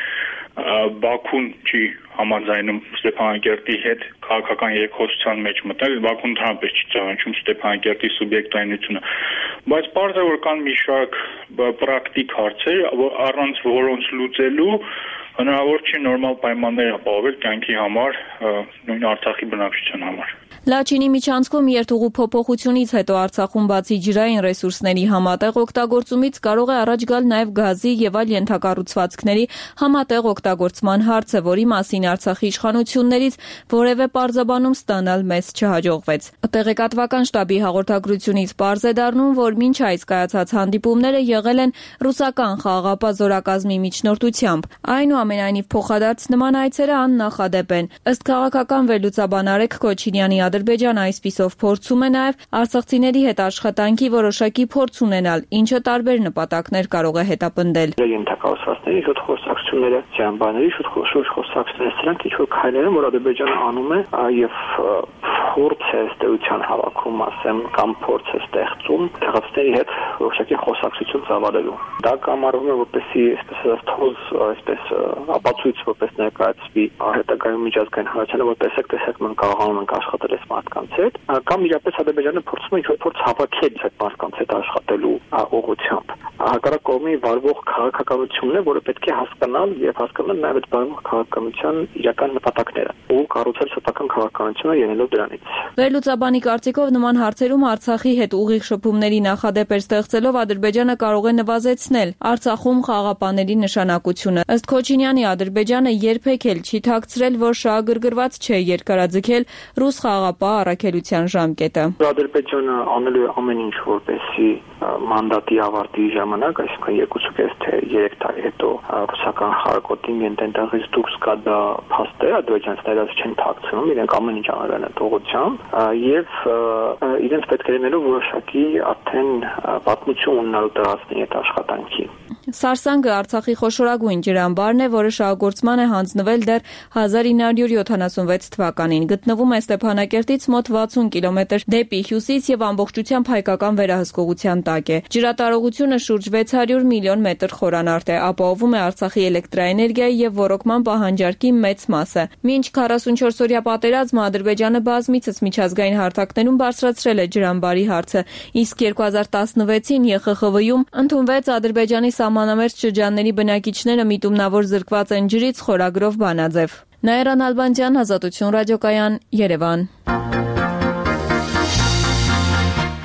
Բաքուն չի համաձայնում Ստեփանակերտի հետ քաղաքական երկխոսության մեջ մտնել, Բաքուն դրանպես չի ճանաչում Ստեփանակերտի սուբյեկտայնությունը, բայց պարզ է, որ կան մի շարք պրակտիկ հարցեր, առանց որոնց լուծելու հնարավոր չի նորմալ պայմաններ ապահովել կյանքի համար, նույն Արցախի բնակչության համար։ Լաչինի միջանցքում երթուղու փոփոխությունից հետո Արցախում բացի ջրային ռեսուրսների համատեղ օգտագործումից կարող է առաջ գալ նաև գազի եւ այլ ենթակառուցվածքների համատեղ օգտագործման հարցը, որի մասին Արցախի իշխանություններից որևէ պարզաբանում ստանալ մեզ չհաջողվեց։ Տեղեկատվական շտաբի հաղորդագրությունից պարզ է դառնում, որ մինչ այս կայացած հանդիպումները եղել են ռուսական խաղաղապահ զորակազմի միջնորդությամբ։ Այնուամենայնիվ ամենայնիվ փոխադարձ նման այցերը աննախադեպ են։ Ըստ քաղաքական վերլուծաբան Արեգ Քոչինյանի, Ադրբեջանը այսպիսով փորձում է նաև արցախցիների հետ աշխատանքի որոշակի փորձ ունենալ, ինչը տարբեր նպատակներ կարող է հետապնդել։ Ենթակառուցվածքների շուտ խոսակցությունները, ճամբարների շուտ խոսակցությունները, սրանք ինչ-որ քայլեր են, որ Ադրբեջանը անում է եւ փորձ է ստեղծության հավաքում, ասեմ, կամ փորձ է ստեղծում տեղացիների հետ որոշակի խոսակցություն ծավալելու։ Դա կամարվում է որպեսզի այսպես թոզ, այսպես ապացույց որպես ներկայացվի հետագայում միջազգային հանրությանը, որ տեսեք մենք կարողանում ենք աշխատել այս մարդկանց հետ, կամ իրապես Ադրբեջանը փորձում է ինչ-որ փորձ հավաքել այդ մարդկանց հետ աշխատելու ուղղությամբ։ Հակառակ կողմի վարվող քաղաքականությունն է, որը պետք է հասկանալ եւ հասկանալ նաեւ այդ վարվող քաղաքականության իրական նպատակները ու կառուցել սեփական քաղաքականությունը ելնելով դրանից։ Վերլուծաբանի կարծիքով նման հարցերում Արցախի հետ ուղիղ շփումների նախադեպեր ստեղծելով Ադրբեջանը կարող է նվազեցնել Արցախում խաղաղապահների նշանակությունը։ Ըստ Քոչինյանի, Ադրբեջանը երբեք էլ չի թաքցրել, որ շահագրգռված չէ երկարաձգել ռուս խաղաղապահ առաքելության ժամկետը։ Ադրբեջանը անելու է ամեն ինչ, որպեսզի մանդատի ավարտի ժամանակ, այսինքն 2.5 թե 3 տարի հետո ռուսական խաղակոտին ենթεντաղից դուրս գա, դա փաստ է, ադրբեջանցիները չեն թաքցնում, իրենք ամեն ինչ անել են այդ ուղղությամբ եւ իրենց պետք է լինելու որոշակի արդեն պատմություն ունենալու տեղացների այդ աշխատանքի։ Սարսանգը Արցախի խոշորագույն ջրամբարն է, որը շահագործման է հանձնվել դեռ 1976 թվականին։ Գտնվում է Ստեփանակերտից մոտ 60 կիլոմետր դեպի հյուսիս եւ ամբողջությամբ հայկական վերահսկողության տակ է։ Ջրատարողությունը շուրջ 600 միլիոն մետր խորանարդ է, ապահովում է Արցախի էլեկտրաէներգիայի եւ ոռոգման պահանջարկի մեծ մասը։ Մինչ 44-օրյա պատերազմը Ադրբեջանը բազմիցս միջազգային հարթակներում բարձրացրել է ջրամբարի հարցը, իսկ 2016-ին ԵԽԽՎ-ում ընդունվեց Ադրբեջանի սահմանամերձ շրջանների բնակիչները միտումնավոր զրկված են ջրից խորագրով բանաձև։ Նաիրա Նալբանդյան, Ազատություն ռադիոկայան, Երևան։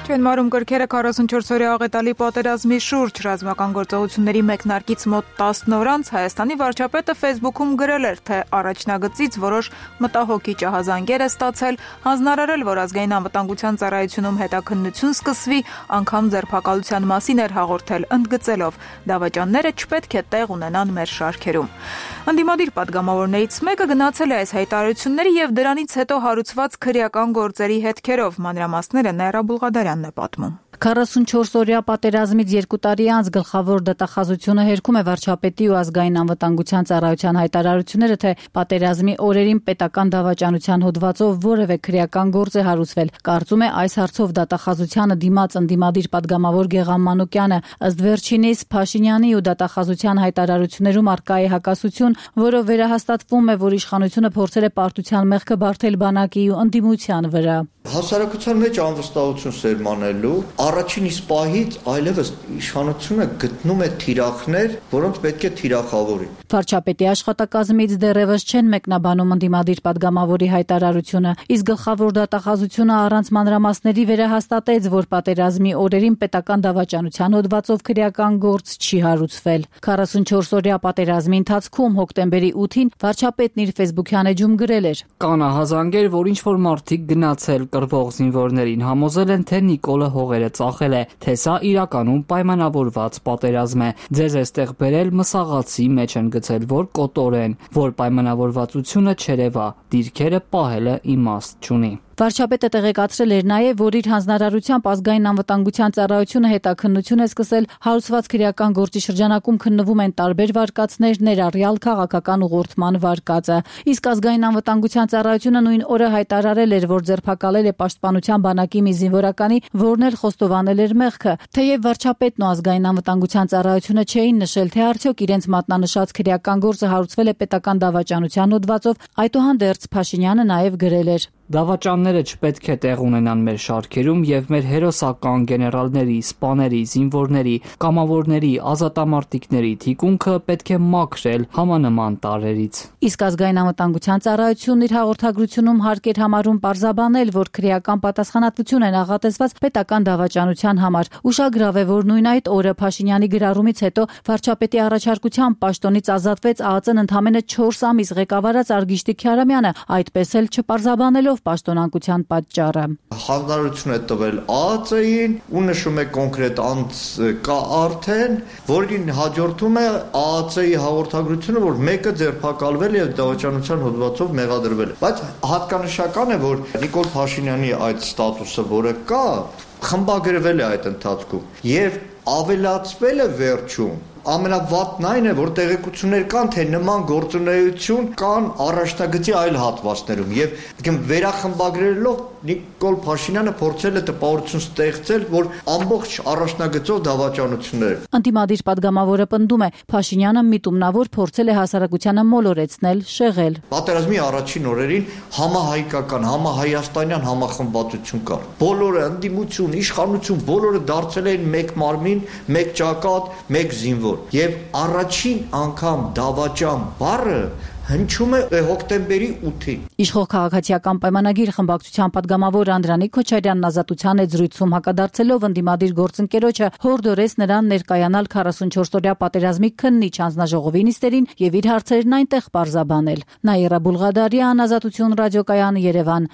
Չենմարում կրքերը 44-օրյա աղետալի պատերազմի շուրջ ռազմական գործողությունների մեկնարկից մոտ 10 օր անց Հայաստանի վարչապետը Facebook-ում գրել էր, թե առաջնագծից որոշ մտահոգի ջահազանգեր է ստացել, հանձնարարել, որ ազգային անվտանգության ծառայությունում հետաքննություն սկսվի, անգամ ձերբակալության մասին էր հաղորդել, ընդգծելով՝ դավաճանները չպետք է տեղ ունենան մեր շարքերում։ Ընդդիմադիր պատգամավորներից մեկը գնացել է այս հայտարարությունների եւ դրանից հետո հարուցված քրեական գործերի հետքերով, մանրամասները Նաիրա Բուլղադարյանն է պատմում։ 44-օրյա պատերազմից 2 տարի անց գլխավոր դատախազությունը հերքում է վարչապետի ու ազգային անվտանգության ծառայության հայտարարությունները, թե պատերազմի օրերին պետական դավաճանության հոդվածով որևէ քրեական գործ է հարուցվել։ Կարծում է այս հարցով դատախազությանը դիմաց ընդդիմադիր պատգամավոր Գեգամ Մանուկյանը, ըստ վերջինիս Փաշինյանի ու դատախազության հայտարարություններում արկա է հակասություն, որով վերահաստատվում է, որ իշխանությունը փորձել է պարտության մեղքը բարթել բանակի ու ընդդիմության վրա։ Հասարակության մեջ անվստահություն սերմանելու առաջին իսկ պահից այլևս իշխանությունը գտնում է թիրախներ, որոնց պետք է թիրախավորի։ Վարչապետի աշխատակազմից դեռևս չեն մեկնաբանում ընդդիմադիր պատգամավորի հայտարարությունը, իսկ գլխավոր դատախազությունը առանց մանրամասների վերահաստատեց, որ պատերազմի օրերին պետական դավաճանության հոդվածով քրեական գործ չի հարուցվել։ 44-օրյա պատերազմի ընթացքում հոկտեմբերի 8-ին վարչապետն իր Facebook-յան էջում գրել էր. Կանահազանգեր, որ ինչ-որ մարդիկ գնացել կռվող զինվորներին համոզել են, թե Նիկոլը հողերը ծախել է, թե սա իրականում պայմանավորված պատերազմ է։ Ձեզ էստեղ բերել մսաղացի մեջ են գցել, որ կոտորեն, որ պայմանավորվածությունը չերևա, դիրքերը պահելը իմաստ չունի։ Վարչապետը տեղեկացրել էր նաև, որ իր հանձնարարությամբ ազգային անվտանգության ծառայությունը հետաքննություն է սկսել հարուցված քրեական գործի շրջանակում քննվում են տարբեր վարկածներ, ներառյալ քաղաքական ուղղորդման վարկածը։ Իսկ ազգային անվտանգության ծառայությունը նույն օրը հայտարարել էր, որ ձերբակալել է պաշտպանության բանակի մի զինվորականի, որն էլ խոստովանել էր մեղքը։ Թեև վարչապետն ու ազգային անվտանգության ծառայությունը չէին նշել, թե արդյոք իրենց մատնանշած քրեական գործը հարուցվել է պետական դավաճանության հոդվածով, այդուհանդերձ Փաշինյանը նաև գրել էր. Դավաճանները չպետք է տեղ ունենան մեր շարքերում եւ մեր հերոսական գեներալների, սպաների, զինվորների, կամավորների, ազատամարտիկների թիկունքը պետք է մաքրել համանման տարրերից։ Իսկ ազգային անվտանգության ծառայությունն իր հաղորդագրությունում հարկ էր համարում պարզաբանել, որ քրեական պատասխանատվություն է նախատեսված պետական դավաճանության համար։ Ուշագրավ է, որ նույն այդ օրը Փաշինյանի գրառումից հետո վարչապետի առաջարկությամբ պաշտոնից ազատվեց ԱԱԾ-ն ընդամենը 4 ամիս ղեկավարած Արգիշտի Քյարամյանը, այդպես էլ չպարզաբանելով բացատրելով պաշտոնանկության պատճառը։ Հանրություն է տվել ԱԱՑ-ին ու նշում է կոնկրետ անձ կա արդեն, որին հաջորդում է ԱԱՑ-ի հաղորդագրությունը, որ մեկը ձերբակալվել եւ դավաճանության հոդվածով մեղադրվել է։ Բայց հատկանշական է, որ Նիկոլ Փաշինյանի այդ ստատուսը, որը կա, խմբագրվել է այդ ընթացքում եւ ավելացվել է վերջում ամենավատն այն է, որ տեղեկություններ կան, թե նման գործունեություն կան առաջնագծի այլ հատվածներում եւ վերախմբագրելով Նիկոլ Փաշինյանը փորձել է տպավորություն ստեղծել, որ ամբողջ առաջնագծով դավաճանություններ։ Անդիմադիր падգամավորը պնդում է, Փաշինյանը միտումնավոր փորձել է հասարակությանը մոլորեցնել, շեղել։ Պատերազմի առաջին օրերին համահայկական, համահայաստանյան համախմբվածություն կար։ Բոլորը ընդդիմություն, իշխանություն, բոլորը դարձել էին մեկ մարմին, մեկ ճակատ, մեկ զինվոր։ Եվ առաջին անգամ դավաճան բառը հնչում է հոկտեմբերի 8-ին։ Իշխող քաղաքացիական պայմանագիր խմբակցության падգամավոր Անդրանիկ Քոչարյանն Ազատության հետ զրույցում հակադարձելով ընդդիմադիր գործընկերոջը հորդորեց նրան ներկայանալ 44-օրյա պատերազմի քննիչ հանձնաժողովի նիստերին եւ իր հարցերն այնտեղ պարզաբանել։ Նաիրա Բուլղադարյան, Ազատություն ռադիոկայան, Երևան։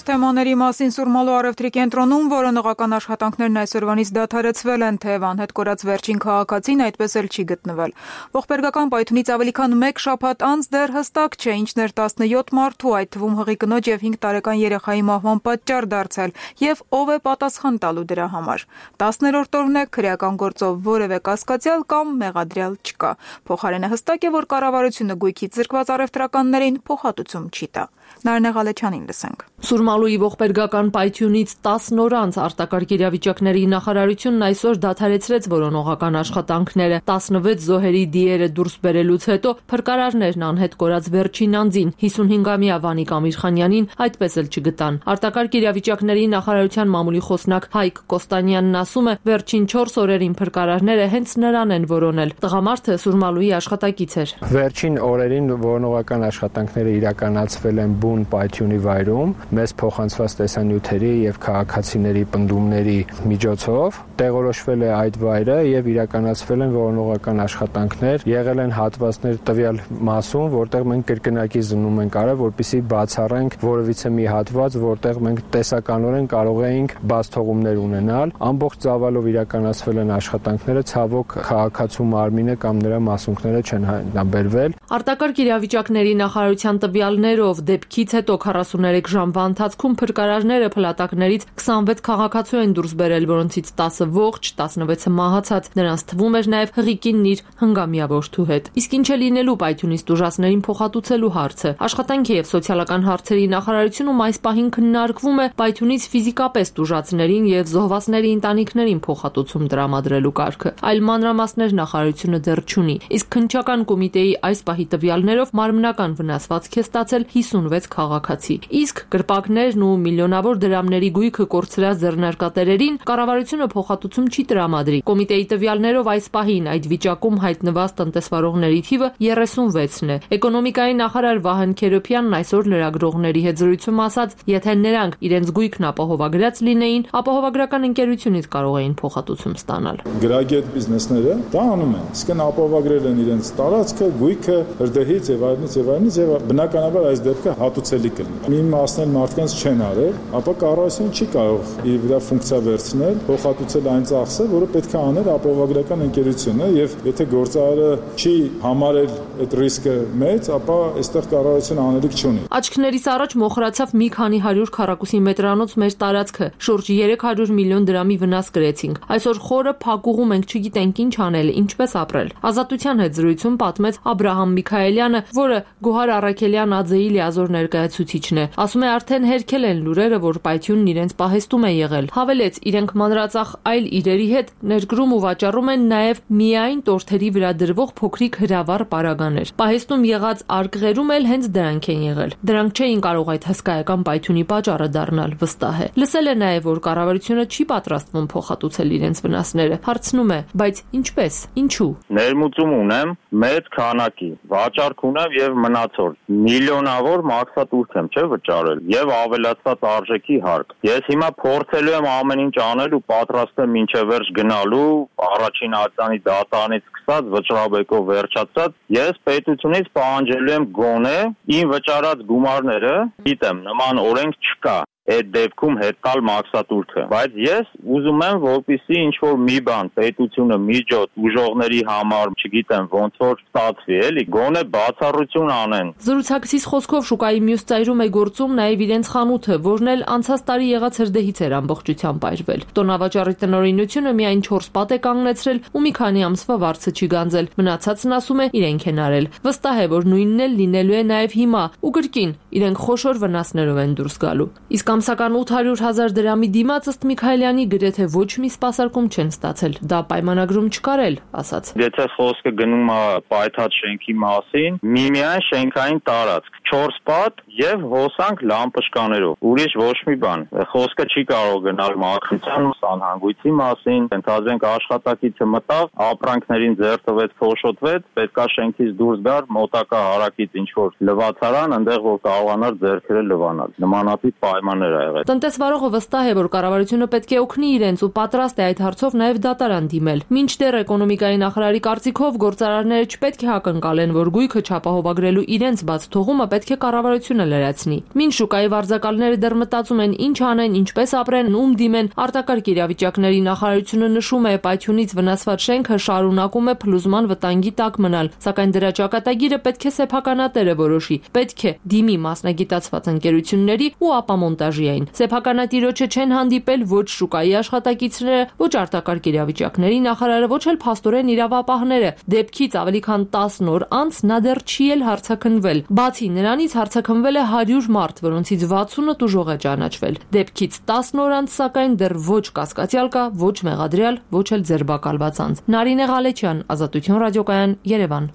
Թեմաների մասին Սուրմալու առևտրի կենտրոնում որոնողական աշխատանքներն այսօրվանից դադարեցվել են, թեև անհետ կորած վերջին քաղաքացին այդպես էլ չի գտնվել։ Ողբերգական պայթունից ավելի քան 1 շաբաթ անց դեռ հստակ չէ ինչն էր 17 մարդու, այդ թվում հղի կնոջ եւ 5 տարեկան երեխայի մահվան պատճառ դարձել եւ ով է պատասխան տալու դրա համար։ 10-րդ օրն է քրեական գործով որևէ կասկածյալ կամ մեղադրյալ չկա։ Փոխարենը հստակ է, որ կառավարությունը գույքից զրկված առևտրականներին փոխհատուցում չի տա։ Նարինե Ղալեչյանին լսենք։ Սուրմալուի ողբերգական պայթյունից 10 օր անց արտակարգ իրավիճակների նախարարությունն այսօր դադարեցրեց որոնողական աշխատանքները։ 16 զոհերի դիերը դուրս բերելուց հետո փրկարարներն անհետ կորած վերջին անձին 55-ամյա Վանիկ Ամիրխանյանին այդպես էլ չգտան։ Արտակարգ իրավիճակների նախարարության մամուլի խոսնակ Հայկ Կոստանյանն ասում է, վերջին 4 օրերին փրկարարները հենց նրան են որոնել։ Տղամարդը Սուրմալուի աշխատակից էր։ Վերջին օրերին որոնողական աշխատանքները իրականացվել են բուն պայթյունի վայրում, մեծ փոխանցված տեսանյութերի եւ քաղաքացիների պնդումների միջոցով տեղորոշվել է այդ վայրը եւ իրականացվել են որոնողական աշխատանքներ, եղել են հատվածներ տվյալ մասում, որտեղ մենք կրկնակի զննում ենք արել, որպեսզի բացառենք որևիցե մի հատված, որտեղ մենք տեսականորեն կարող էինք բացթողումներ ունենալ։ Ամբողջ ծավալով իրականացվել են աշխատանքները, ցավոք քաղաքացու մարմինը կամ նրա մասունքները չեն հայտնաբերվել։ Արտակարգ իրավիճակների նախարարության տվյալներով դեպքից հետո 43 ժամվա ընթացքում փրկարարները փլատակներից 26 քաղաքացու են դուրս բերել, որոնցից 10-ը ողջ, 16-ը մահացած։ Նրանց թվում էր նաև հղիկինն իր հնգամյա որդու հետ։ Իսկ ինչ է լինելու պայթյունից տուժածներին փոխհատուցելու հարցը։ Աշխատանքի եւ սոցիալական հարցերի նախարարությունում այս պահին քննարկվում է պայթյունից ֆիզիկապես տուժածներին եւ զոհվածների ընտանիքներին փոխհատուցում տրամադրելու կարգը։ Այլ մանրամասներ նախարարությունը դեռ չունի։ Իսկ քննչական կոմիտեի այս պահի տվյալներով մարմնական վնասվածք է ստացել 56 քաղաքացի։ Իսկ կրպակներն ու միլիոնավոր դրամների գույքը կորցրած ձեռնարկատերերին կառավարությունը փոխհատուցում չի տրամադրի։ Կոմիտեի տվյալներով այս պահին այդ վիճակում հայտնված տնտեսվարողների թիվը 36-ն է։ Էկոնոմիկայի նախարար Վահան Քերոփյանն այսօր լրագրողների հետ զրույցում ասաց, եթե նրանք իրենց գույքն ապահովագրած լինեին, ապահովագրական ընկերությունից կարող էին փոխհատուցում ստանալ։ Գրագետ բիզնեսները դա անում են, իսկ ապահովագրել են իրենց տարածքը, գույքը, հրդեհից եւ այլնից եւ բնականաբար այս դեպքը հատուցելի կլինի։ Մի մասն էլ մարդկանց չեն արել, ապա կառավարությունը չի կարող իր վրա ֆունկցիա վերցնել, փոխհատուցել այն ծախսը, որը պետք է աներ ապահովագրական ընկերությունը, եւ եթե գործարարը չի համարել այդ ռիսկը մեծ, ապա այստեղ կառավարությունը անելիք չունի։ Աչքներիս առաջ մոխրացավ մի քանի 100 քառակուսի մետրանոց մեր տարածքը, շուրջ 300 միլիոն դրամի վնաս կրեցինք։ Այսօր խորը փակուղում ենք, չգիտենք ինչ անել, ինչպես ապրել։ Ազատության հետ զրույցում պատմեց Աբրահամ Միքայելյանը, որը Գոհար Առաքելյան ԱԶ-ի լիազոր ներկայացուցիչն է։ Ասում է, արդեն հերքել են լուրերը, որ պայթյունն իրենց պահեստում է եղել։ Հավելեց, իրենք մանրածախ այլ իրերի հետ ներգրում ու վաճառում են նաև միայն տորթերի վրա դրվող փոքրիկ հրավառ պարագաներ։ Պահեստում եղած արկղերում էլ հենց դրանք են եղել։ Դրանք չէին կարող այդ հսկայական պայթյունի պատճառը դառնալ, վստահ է։ Լսել է նաև, որ կառավարությունը չի պատրաստվում փոխհատուցել իրենց վնասները։ Հարցնում է, բայց ինչպես, ինչու։ Ներմուծում ունեմ մեծ քանակի, վաճառք ունեմ եւ մնացորդ միլիոնավոր մաքսատուրք եմ, չէ՞ վճարել եւ ավելացված արժեքի հարկ։ Ես հիմա փորձելու եմ ամեն ինչ անել ու պատրաստ եմ մինչև վերջ գնալու, առաջին ակցիանի դատարանից սկսած վճռաբեկով վերջացած, ես պետությունից պահանջելու եմ գոնե իմ վճարած գումարները, գիտեմ, նման օրենք չկա։ Այդ դեպքում հետ տալ մաքսատուրքը, բայց ես ուզում եմ, որպեսզի ինչ-որ մի բան պետությունը միջոց ուժողների համար, չգիտեմ, ոնց որ ստացվի, էլի, գոնե բացառություն անեն։ Զրուցակցիս խոսքով շուկայի մյուս ծայրում է գործում նաև իրենց խանութը, որն էլ անցած տարի եղած հրդեհից էր ամբողջությամբ այրվել։ Տոնավաճառի տնօրինությունը միայն 4 պատ է կանգնեցրել ու մի քանի ամսվա վարձը չի գանձել։ Մնացածն ասում է իրենք են արել։ Վստահ է, որ նույնն էլ լինելու է նաև հիմա ու կրկին իրենք խոշոր վնասներով են դուրս գալու։ Իսկ ամսական 800,000 դրամի դիմաց ըստ Միքայելյանի գրեթե ոչ մի սպասարկում չեն ստացել։ Դա պայմանագրում չկարել, ասաց։ Եթե խոսքը գնում է պայթած շենքի մասին, միմիայն շենքային տարածք, 4 պատ եւ հոսանք լամպշկաներով։ Ուրիշ ոչ մի բան։ Խոսքը չի կարող գնալ մաքրության ու սանհանգույցի մասին, ընդհանրենք աշխատակիցը մտավ, ապրանքներին ձեռ տվեց, փոշոտվեց, պետքա շենքից դուրս գար, մոտակա հարակից ինչ որ լվացարան, այնտեղ որ կարողանար ձեռքերը լվանալ։ Նմանատիպ պայմաններ ա եղել։ Տնտեսվարողը վստահ է, որ կառավարությունը պետք է օգնի իրենց ու պատրաստ է այդ հարցով նաև դատարան դիմել։ Մինչդեռ էկոնոմիկայի նախարարի կարծիքով գործարարները չպետք է հակընկալեն, որ գույքը չապահովագրելու իրենց բաց թողումը պետք է կառավարությունը լրացնի։ Մինչ շուկայի վարձակալները դեռ մտածում են ինչ անեն, ինչպես ապրեն, ում դիմեն, արտակարգ իրավիճակների նախարարությունը նշում է, պայթյունից վնասված շենքը շարունակում է փլուզման վտանգի տակ մնալ, սակայն դրա ճակատագիրը պետք է սեփականատերը որոշի, պետք է դիմի մասնագիտացված ընկերությունների ու ապա մոնտաժային։ Սեփականատիրոջը չեն հանդիպել ոչ շուկայի աշխատակիցները, ոչ արտակարգ իրավիճակների նախարարը, ոչ էլ փաստորեն իրավապահները։ Դեպքից ավելի քան 10 օր անց նա դեռ չի էլ հարցաքննվել։ Բացի նրանից հարցաքննվել է 100 մարդ, որոնցից 60-ը տուժող է ճանաչվել։ Դեպքից 10 օր անց սակայն դեռ ոչ կասկածյալ կա, ոչ մեղադրյալ, ոչ էլ ձերբակալված անձ։ Նարինե Ղալեչյան, Ազատություն ռադիոկայան, Երևան։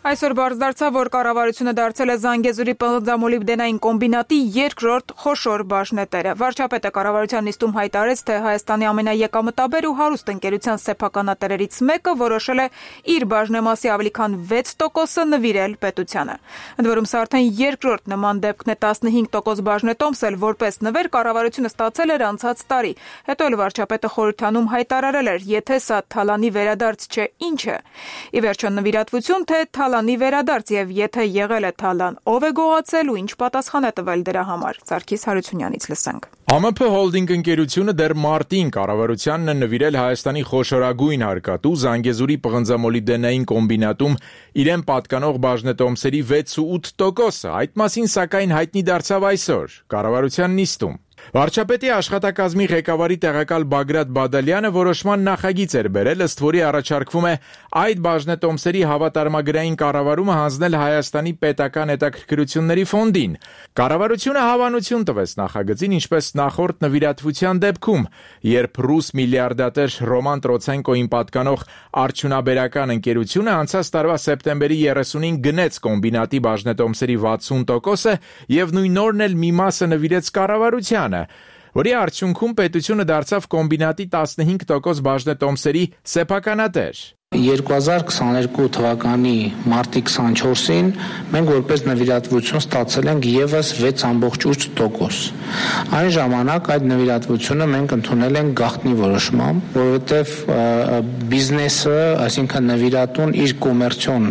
Այսօր բարձ դարձավ, որ կառավարությունը դարձել է Զանգեզուրի պղնձամոլիբդենային կոմբինատի երկրորդ խոշոր բաժնետերը։ Վարչապետը կառավարության նիստում հայտարարեց, թե Հայաստանի ամենաեկամտաբեր ու հարուստ ընկերության սեփականատերերից մեկը որոշել է իր բաժնեմասի ավելի քան 6%-ը նվիրել պետությանը։ Ընդ որում սա արդեն երկրորդ նման դեպքն է, 15% բաժնետոմս էլ որպես նվեր կառավարությունը ստացել էր անցած տարի։ Հետո էլ վարչապետը խորհրդանում հայտարարել էր, եթե սա թալանի վերադարձ չէ, ինչ է։ Ի վերջո նվիրատվություն, թե թալանի վերադարձ եւ եթե եղել է թալան, ով է գողացել ու ինչ պատասխան է տվել դրա համար։ Սարգիս Հարությունյանից լսենք։ ԱՄՓ հոլդինգ ընկերությունը դեռ մարտին կառավարությանն է նվիրել Հայաստանի խոշորագույն հարկատու Զանգեզուրի պղնձամոլիբդենային կոմբինատում իրեն պատկանող բաժնետոմսերի 6.8%-ը։ Այդ մասին սակայն հայտնի դարձավ այսօր կառավարության նիստում։ Վարչապետի աշխատակազմի ղեկավարի տեղակալ Բագրատ Բադալյանը որոշման նախագիծ էր բերել, ըստ որի առաջարկվում է այդ բաժնետոմսերի հավատարմագրային կառավարումը հանձնել Հայաստանի պետական հետաքրքրությունների ֆոնդին։ Կառավարությունը հավանություն տվեց նախագծին, ինչպես նախորդ նվիրատվության դեպքում, երբ ռուս միլիարդատեր Ռոման Տրոցենկոին պատկանող արդյունաբերական ընկերությունը անցած տարվա սեպտեմբերի 30-ին գնեց կոմբինատի բաժնետոմսերի 60%-ը եւ նույն օրն էլ մի մասը նվիրեց կառավարությանը, որի արդյունքում պետությունը դարձավ կոմբինատի 15% բաժնետոմսերի սեփականատեր։ 2022 թվականի մարտի 24-ին մենք որպես նվիրատվություն ստացել ենք եւս 6.8%։ Այն ժամանակ այդ նվիրատվությունը մենք ընդունել ենք գաղտնի որոշմամբ, որովհետեւ բիզնեսը, այսինքն նվիրատուն իր կոմերցիոն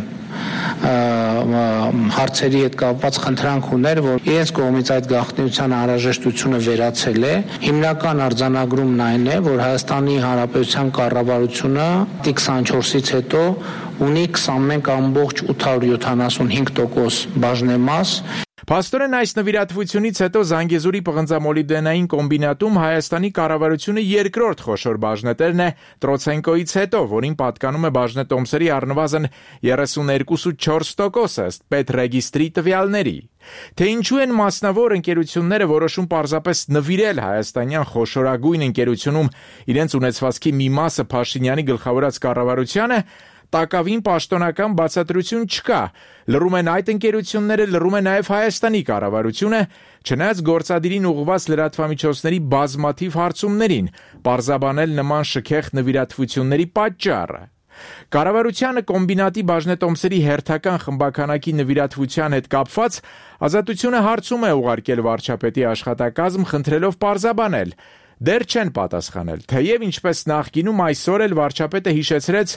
հարցերի հետ կապված խնդրանք ուներ, որ իրենց կողմից այդ գաղտնիության անհրաժեշտությունը վերացել է։ Հիմնական արձանագրումն այն է, որ Հայաստանի Հանրապետության կառավարությունը 24-ից հետո ունի 21.875% բաժնեմաս։ Փաստորեն այս նվիրատվությունից հետո Զանգեզուրի պղնձամոլիբդենային կոմբինատում Հայաստանի կառավարությունը երկրորդ խոշոր բաժնետերն է Տրոցենկոից հետո, որին պատկանում է բաժնետոմսերի առնվազն 32.4%, ըստ պետռեգիստրի տվյալների։ Թե ինչու են մասնավոր ընկերությունները որոշում պարզապես նվիրել հայաստանյան խոշորագույն ընկերությունում իրենց ունեցվածքի մի մասը Փաշինյանի գլխավորած կառավարությանը, տակավին պաշտոնական բացատրություն չկա։ Լռում են այդ ընկերությունները, լռում է նաև Հայաստանի կառավարությունը, չնայած գործադիրին ուղղված լրատվամիջոցների բազմաթիվ հարցումներին, պարզաբանել նման շքեղ նվիրատվությունների պատճառը։ Կառավարությանը կոմբինատի բաժնետոմսերի հերթական խմբականակի նվիրատվության հետ կապված Ազատությունը հարցում է ուղարկել վարչապետի աշխատակազմ խնդրելով պարզաբանել։ Դեռ չեն պատասխանել, թեև ինչպես նախկինում այսօր էլ վարչապետը հիշեցրեց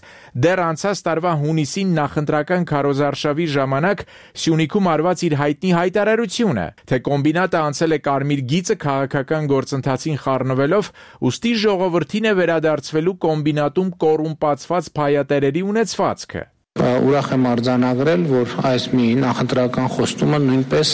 դեռ անցած տարվա հունիսին նախընտրական քարոզարշավի ժամանակ Սյունիքում արված իր հայտնի հայտարարությունը, թե կոմբինատը անցել է կարմիր գիծը քաղաքական գործընթացին խառնվելով, ուստի ժողովրդին է վերադարձվելու կոմբինատում կոռումպացված փայատերերի ունեցվածքը։ Ուրախ եմ արձանագրել, որ այս մի նախընտրական խոստումը նույնպես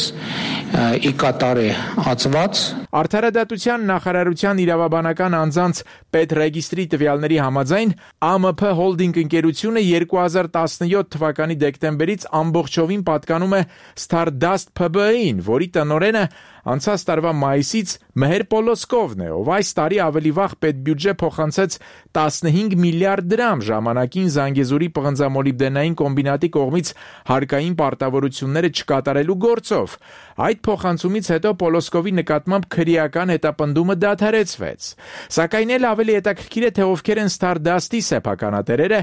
ի կատար է ածված։ Արդարադատության նախարարության իրավաբանական անձանց պետռեգիստրի տվյալների համաձայն ԱՄՓ հոլդինգ ընկերությունը 2017 թվականի դեկտեմբերից ամբողջովին պատկանում է Stardust PB-ին, որի տնօրենը անցած տարվա մայիսից Մեհեր Պոլոսկովն է, ով այս տարի ավելի վաղ պետբյուջե փոխանցեց 15 միլիարդ դրամ ժամանակին Զանգեզուրի պղնձամոլիբդենային կոմբինատի կողմից հարկային պարտավորությունները չկատարելու գործով։ Այդ փոխանցումից հետո Պոլոսկովի նկատմամբ քրեական հետապնդումը դադարեցվեց։ Սակայն էլ ավելի հետաքրքիր է, թե ովքեր են Stardust-ի սեփականատերերը,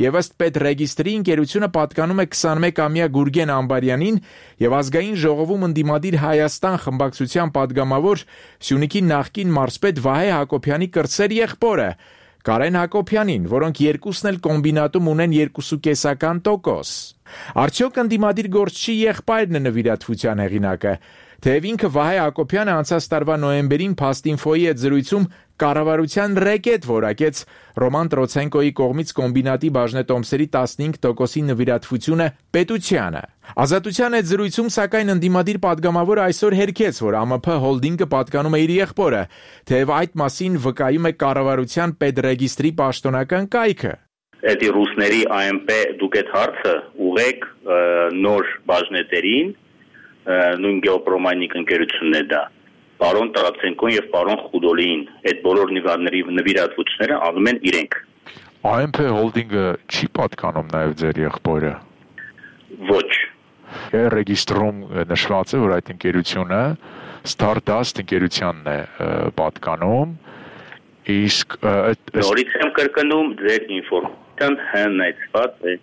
եւ ըստ պետռեգիստրի ընկերությունը պատկանում է 21-ամյա Գուրգեն Ամբարյանին եւ ազգային ժողովում ընդդիմադիր Հայաստան խմբակցության падգամավոր Սյունիքի նախկին մարզպետ Վահե Հակոբյանի կրտսեր եղբորը Կարեն Հակոբյանին, որոնք երկուսն էլ կոմբինատում ունեն 2.5%։ Արդյոք ընդդիմադիր գործչի եղբայրն է նվիրատվության հեղինակը, թեև ինքը Վահե Հակոբյանը անցած տարվա նոյեմբերին Փաստինֆոյի հետ զրույցում կառավարության ռեկետ որակեց Ռոման Տրոցենկոյի կողմից կոմբինատի բաժնետոմսերի 15%-ի նվիրատվությունը պետությանը։ Ազատության հետ զրույցում սակայն ընդդիմադիր падգամավորը այսօր հերքեց, որ ԱՄՓ հոլդինգը պատկանում է իր եղբորը, թեև այդ մասին վկայում է կառավարության պետռեգիստրի պաշտոնական կայքը։ Էդի ռուսների ԱՄՊ դուք այդ հարցը ուղեք նոր բաժնետերին, նույն գեոպրոմայնիկ ընկերությունն է դա, պարոն Տրոցենկոն եւ պարոն Խուդոլիին, այդ բոլոր նվիրատվությունները անում են իրենք։ ԱՄՊ հոլդինգը չի պատկանում նաեւ ձեր եղբորը։ Ոչ։ Ռեգիստրում նշված է, որ այդ ընկերությունը Stardust ընկերությանն է պատկանում, իսկ նորից եմ կրկնում ձեր ինֆորմացիան հնայցված է։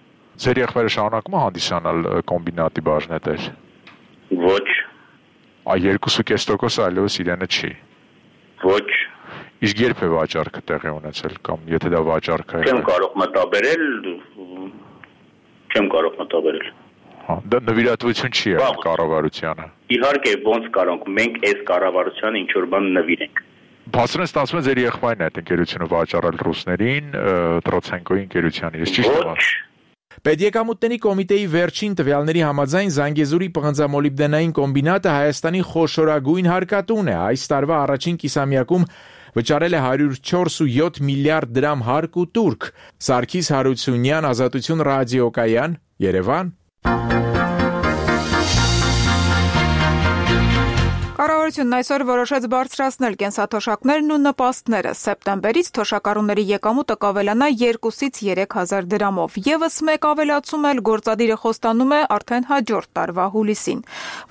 Ձեր եղբայրը շարունակում է հանդիսանալ կոմբինատի բաժնետեր։ Ոչ։ Այ 2.5% այլևս իրենը չի։ Ոչ։ Իսկ երբ է վաճառքը տեղի ունեցել կամ եթե դա վաճառք է։ Չեմ կարող մտաբերել։ Հա, դա նվիրատվություն չի եղել կառավարությանը։ Իհարկե, ոնց կարող մենք այս կառավարությանը ինչ որ բան նվիրենք։ Բացրեն ստացվում է ձեր եղբայրն է այդ ընկերությունը վաճառել ռուսներին, Տրոցենկոյի ընկերությանին, իսկ ճիշտ է։ Պետեկամուտների կոմիտեի վերջին տվյալների համաձայն Զանգեզուրի պղնձամոլիբդենային կոմբինատը Հայաստանի խոշորագույն հարկատուն է։ Այս տարվա առաջին կիսամյակում վճարել է 104.7 միլիարդ դրամ հարկ ու տուրք։ Սարգիս Հարությունյան, Ազատություն ռադիոկայան, Երևան։ Կառավարությունն այսօր որոշեց բարձրացնել կենսաթոշակներն ու նպաստները։ Սեպտեմբերից թոշակառուների եկամուտը կավելանա 2-ից 3,000 դրամով։ Եվս մեկ ավելացում էլ գործադիրը խոստանում է արդեն հաջորդ տարվա հուլիսին։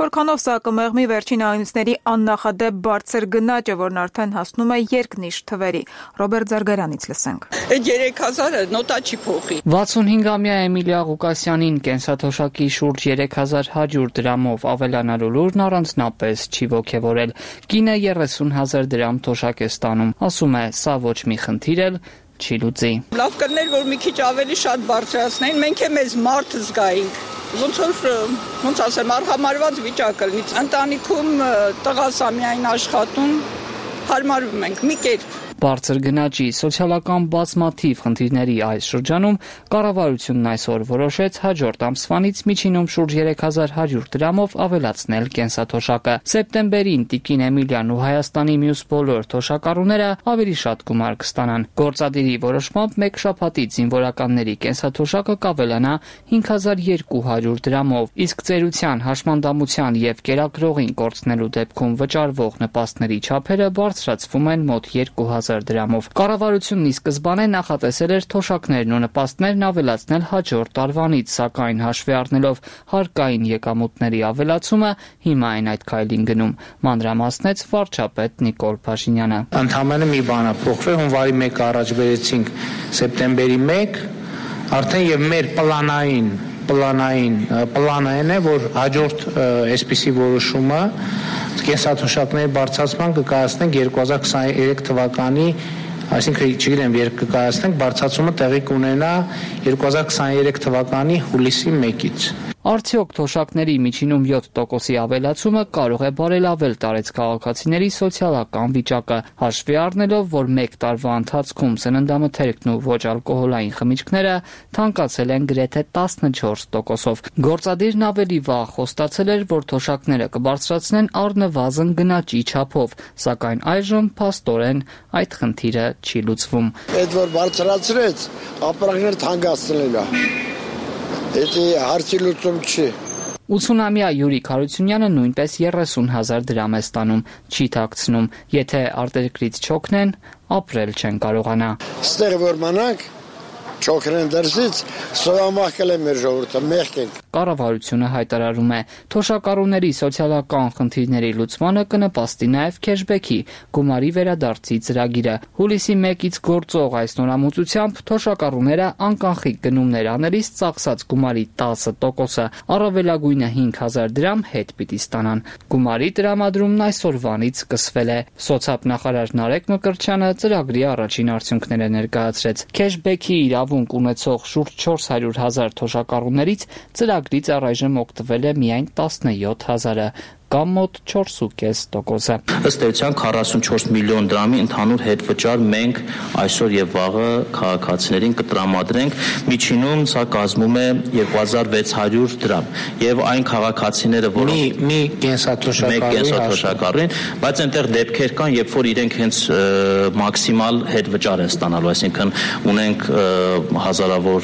Որքանով սա կմեղմի վերջին ամիսների աննախադեպ բարձր գնաճը, որն արդեն հասնում է երկնիշ թվերի։ Ռոբերտ Զարգարյանից լսենք։ Այդ 3,000-ը նոտա չի փոխի։ 65-ամյա Էմիլիա Ղուկասյանին կենսաթոշակի շուրջ 3,100 դրամով ավելանալու լուրն առանձնապես չի ոգևորել։ Կինը 30,000 դրամ թոշակ է ստանում, ասում է, սա ոչ մի խնդիր էլ չի լուծի։ Լավ կներ, որ մի քիչ ավելի շատ բարձրացնեին, մենք է մեզ մարդ զգայինք։ Ոնց ասեմ, արհամարված վիճակ լինի։ Ընտանիքում տղաս ամյայն աշխատում, հարմարվում ենք մի կերպ։ Բարձր գնաճի սոցիալական բազմաթիվ խնդիրների այս շրջանում կառավարությունն այսօր որոշեց հաջորդ ամսվանից միջինում շուրջ 3,100 դրամով ավելացնել կենսաթոշակը։ Սեպտեմբերին Տիկին Էմիլիան ու Հայաստանի մյուս բոլոր թոշակառուները ավելի շատ գումար կստանան։ Գործադիրի որոշմամբ մեկ շաբաթից զինվորականների կենսաթոշակը կավելանա 5,200 դրամով, իսկ ծերության, հաշմանդամության եւ կերակրողին կորցնելու դեպքում վճարվող նպաստների չափերը բարձրացվում են մոտ 2,000 դրամով։ Կառավարությունն ի սկզբանե նախատեսել էր թոշակներն ու նպաստներն ավելացնել հաջորդ տարվանից, սակայն հաշվի առնելով հարկային եկամուտների ավելացումը, հիմա այն այդ քայլին գնում, մանրամասնեց վարչապետ Նիկոլ Փաշինյանը։ Ընդհանրապես մի բան է փոխվել, հունվարի 1 առաջ բերեցինք սեպտեմբերի 1, արդեն եւ մեր պլանային է, որ հաջորդ այսպիսի որոշումը կենսաթոշակների բարձրացման կկայացնենք 2023 թվականի, այսինքն չգիտեմ, երբ կկայացնենք, բարձրացումը տեղի կունենա 2023 թվականի հուլիսի 1-ից։ Արդյոք թոշակների միջինում 7%-ի ավելացումը կարող է բարելավել տարեց քաղաքացիների սոցիալական վիճակը, հաշվի առնելով, որ 1 տարվա ընթացքում սննդամթերքն ու ոչ ալկոհոլային խմիչքները թանկացել են գրեթե 14%-ով։ Գործադիրն ավելի վաղ խոստացել էր, որ թոշակները կբարձրացնեն առնվազն գնաճի չափով, սակայն այժմ փաստորեն այդ խնդիրը չի լուծվում։ Այդ որ բարձրացրեց, ապրանքները թանկացնել է։ Դա հարցի լուծում չի։ 80-ամյա Յուրիկ Հարությունյանը նույնպես 30,000 դրամ է ստանում, չի թաքցնում, եթե արտերկրից չօգնեն, ապրել չեն կարողանա։ Ստեղ որ մնանք, չօգնեն դրսից, սովամահկել է մեր ժողովուրդը, մեղք ենք։ Կառավարությունը հայտարարում է, թոշակառուների սոցիալական խնդիրների լուծմանը կնպաստի նաև քեշբեքի գումարի վերադարձի ծրագիրը։ Հուլիսի 1-ից գործող այս նորամուծությամբ թոշակառուները անկանխիկ գնումներ անելիս ծախսած գումարի 10%-ը, առավելագույնը 5,000 դրամ հետ պիտի ստանան։ Գումարի տրամադրումն այսօրվանից սկսվել է։ Սոցիալնախարար Նարեկ Մկրտչյանը ծրագրի առաջին արդյունքները ներկայացրեց։ Քեշբեքի իրավունք ունեցող շուրջ 400,000 թոշակառուներից ծրագրից առայժմ օգտվել է միայն 17,000-ը, կամ մոտ 4,5%-ը։ Ըստ էության 44 միլիոն դրամի ընդհանուր հետվճար մենք այսօր եւ վաղը քաղաքացիներին կտրամադրենք, միջինում սա կազմում է 2600 դրամ։ Եվ այն քաղաքացիները, որոնք մի կենսաթոշակառուին, բայց այնտեղ դեպքեր կան, երբ որ իրենք հենց մաքսիմալ հետվճար են ստանալու, այսինքն ունենք հազարավոր,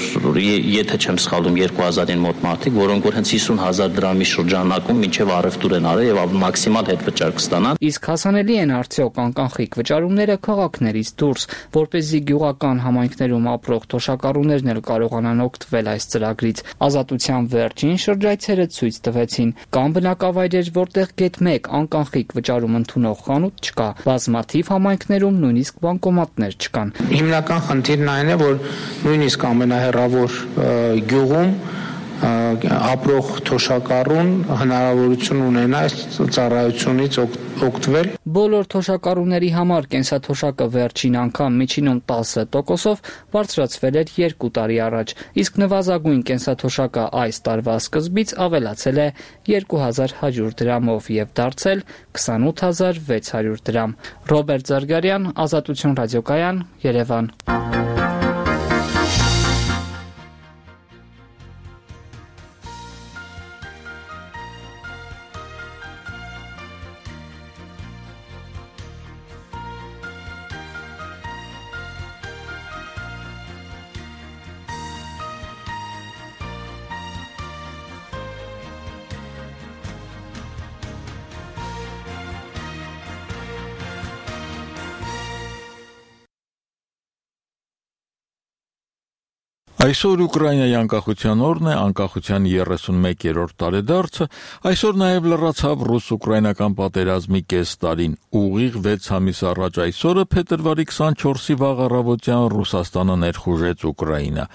եթե չեմ սխալվում, 2000-ին մոտ մարդիկ, որոնք որ հենց 50,000 դրամի շրջանակում մինչև առևտուր են արել եւ մաքսիմալ հետվճար կստանան։ Իսկ հասանելի են արդյոք անկանխիկ վճարումները քաղաքներից դուրս, որպեսզի գյուղական համայնքներում ապրող թոշակառուներն էլ կարողանան օգտվել այս ծրագրից։ Ազատության վերջին շրջայցերը ցույց տվեցին, կան բնակավայրեր, որտեղ գեթ 1 անկանխիկ վճարում ընդունող խանութ չկա, բազմաթիվ համայնքներում նույնիսկ բանկոմատներ չկան։ Հիմնական խնդիրն այն է, որ նույնիսկ ամենահեռավոր գյուղում ապրող թոշակառուն հնարավորություն ունենա այս ծառայությունից օգտվել։ Բոլոր թոշակառուների համար կենսաթոշակը վերջին անգամ միջինում 10%-ով բարձրացվել էր 2 տարի առաջ, իսկ նվազագույն կենսաթոշակը այս տարվա սկզբից ավելացել է 2100 դրամով եւ դարձել 28600 դրամ։ Ռոբերտ Զարգարյան, Ազատություն ռադիոկայան, Երևան։ Այսօր Ուկրաինայի անկախության օրն է, անկախության 31-րդ տարեդարձը, այսօր նաև լրացավ ռուս-ուկրաինական պատերազմի կես տարին։ Ուղիղ 6 ամիս առաջ այսօրը փետրվարի 24-ի վաղ առավոտյան Ռուսաստանը ներխուժեց Ուկրաինա։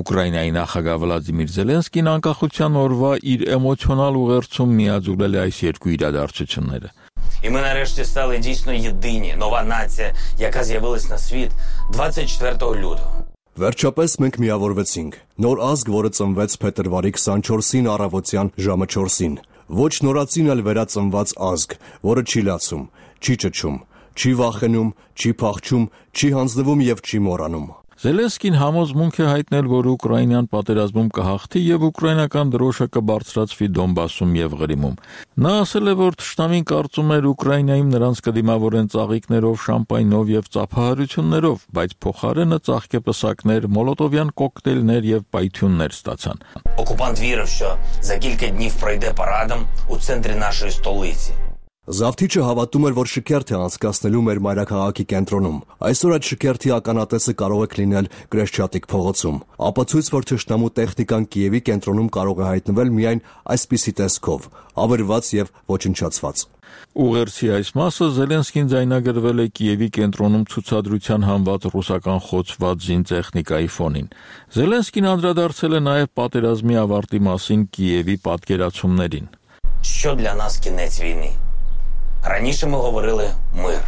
Ուկրաինայի նախագահ Վլադիմիր Զելենսկին անկախության օրվա իր էմոցիոնալ ուղերձում միաձուլել է այս երկու իրադարձությունները։ І ми нарешті стали дійсно єдині, нова нація, яка з'явилась на світ 24 лютого. Վերջապես մենք միավորվեցինք։ Նոր ազգ, որը ծնվեց փետրվարի 24-ին առավոտյան ժամը 4-ին։ Ոչ նորածին էլ վերածնված ազգ, որը չի լացում, չի ճչում, չի վախենում, չի փախչում, չի հանձնվում եւ չի մոռանում։ Զելենսկին համոզմունք է հայտնել, որ Ուկրաինան պատերազմում կհաղթի եւ ուկրաինական դրոշը կբարձրացվի Դոնբասում եւ Ղրիմում։ Նա ասել է, որ թշնամին կարծում էր Ուկրաինայում նրանց կդիմավորեն ծաղիկներով, շամպայնով եւ ծափահարություններով, բայց փոխարենը ծաղկեպսակներ, մոլոտովյան կոկտեյլներ եւ պայթյուններ ստացան։ Окупант вірив, що за кілька днів пройде парадом у центрі нашої столиці. Զավթիչը հավատում էր, որ շքերթ է անցկացնելու մեր մայրաքաղաքի կենտրոնում։ Այսօր այդ շքերթի ականատեսը կարող է լինել Կրեշչատիկ փողոցում։ Ապացույց, որ թշնամու տեխնիկան Կիևի կենտրոնում կարող է հայտնվել միայն այսպիսի տեսքով՝ ավերված եւ ոչնչացված։ Ուղերձի այս մասը Զելենսկին ձայնագրվել է Կիևի կենտրոնում ցուցադրության հանված ռուսական խոցված զինտեխնիկայի ֆոնին։ Զելենսկին անդրադարձել է նաև պատերազմի ավարտի մասին Կիևի պատկերացումներին։ Що для нас кінець війни? Раніше ми говорили мир.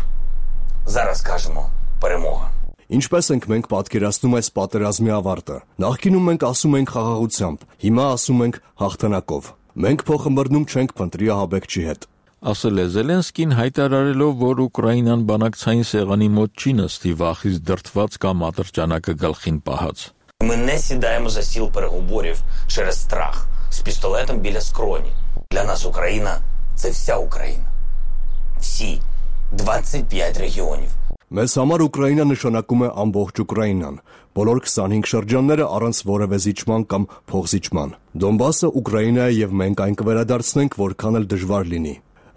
Зараз кажемо перемога. Ինչպես ենք մենք պատկերացնում այս պատերազմի ավարտը։ Նախկինում մենք ասում ենք խաղաղությամբ, հիմա ասում ենք հաղթանակով։ Մենք փոխմբռնում չենք փնտրի ահաբեկչի հետ։ Ասել է Զելենսկին, հայտարարելով, որ Ուկրաինան բանակցային սեղանի մոտ չի նստի վախից դրդված կամ ատրճանակը գլխին պահած։ Ми не сідаємо за стіл переговорів через страх з пістолетом біля скроні. Для нас Україна – це вся Україна. Всі 25 регіонів. Մեզ համար Ուկրաինա նշանակում է ամբողջ Ուկրաինան, բոլոր 25 շրջանները առանց որևէ զիջման կամ փոխզիջման։ Դոնբասը Ուկրաինա է եւ մենք այն կվերադարձնենք, որքան էլ դժվար լինի։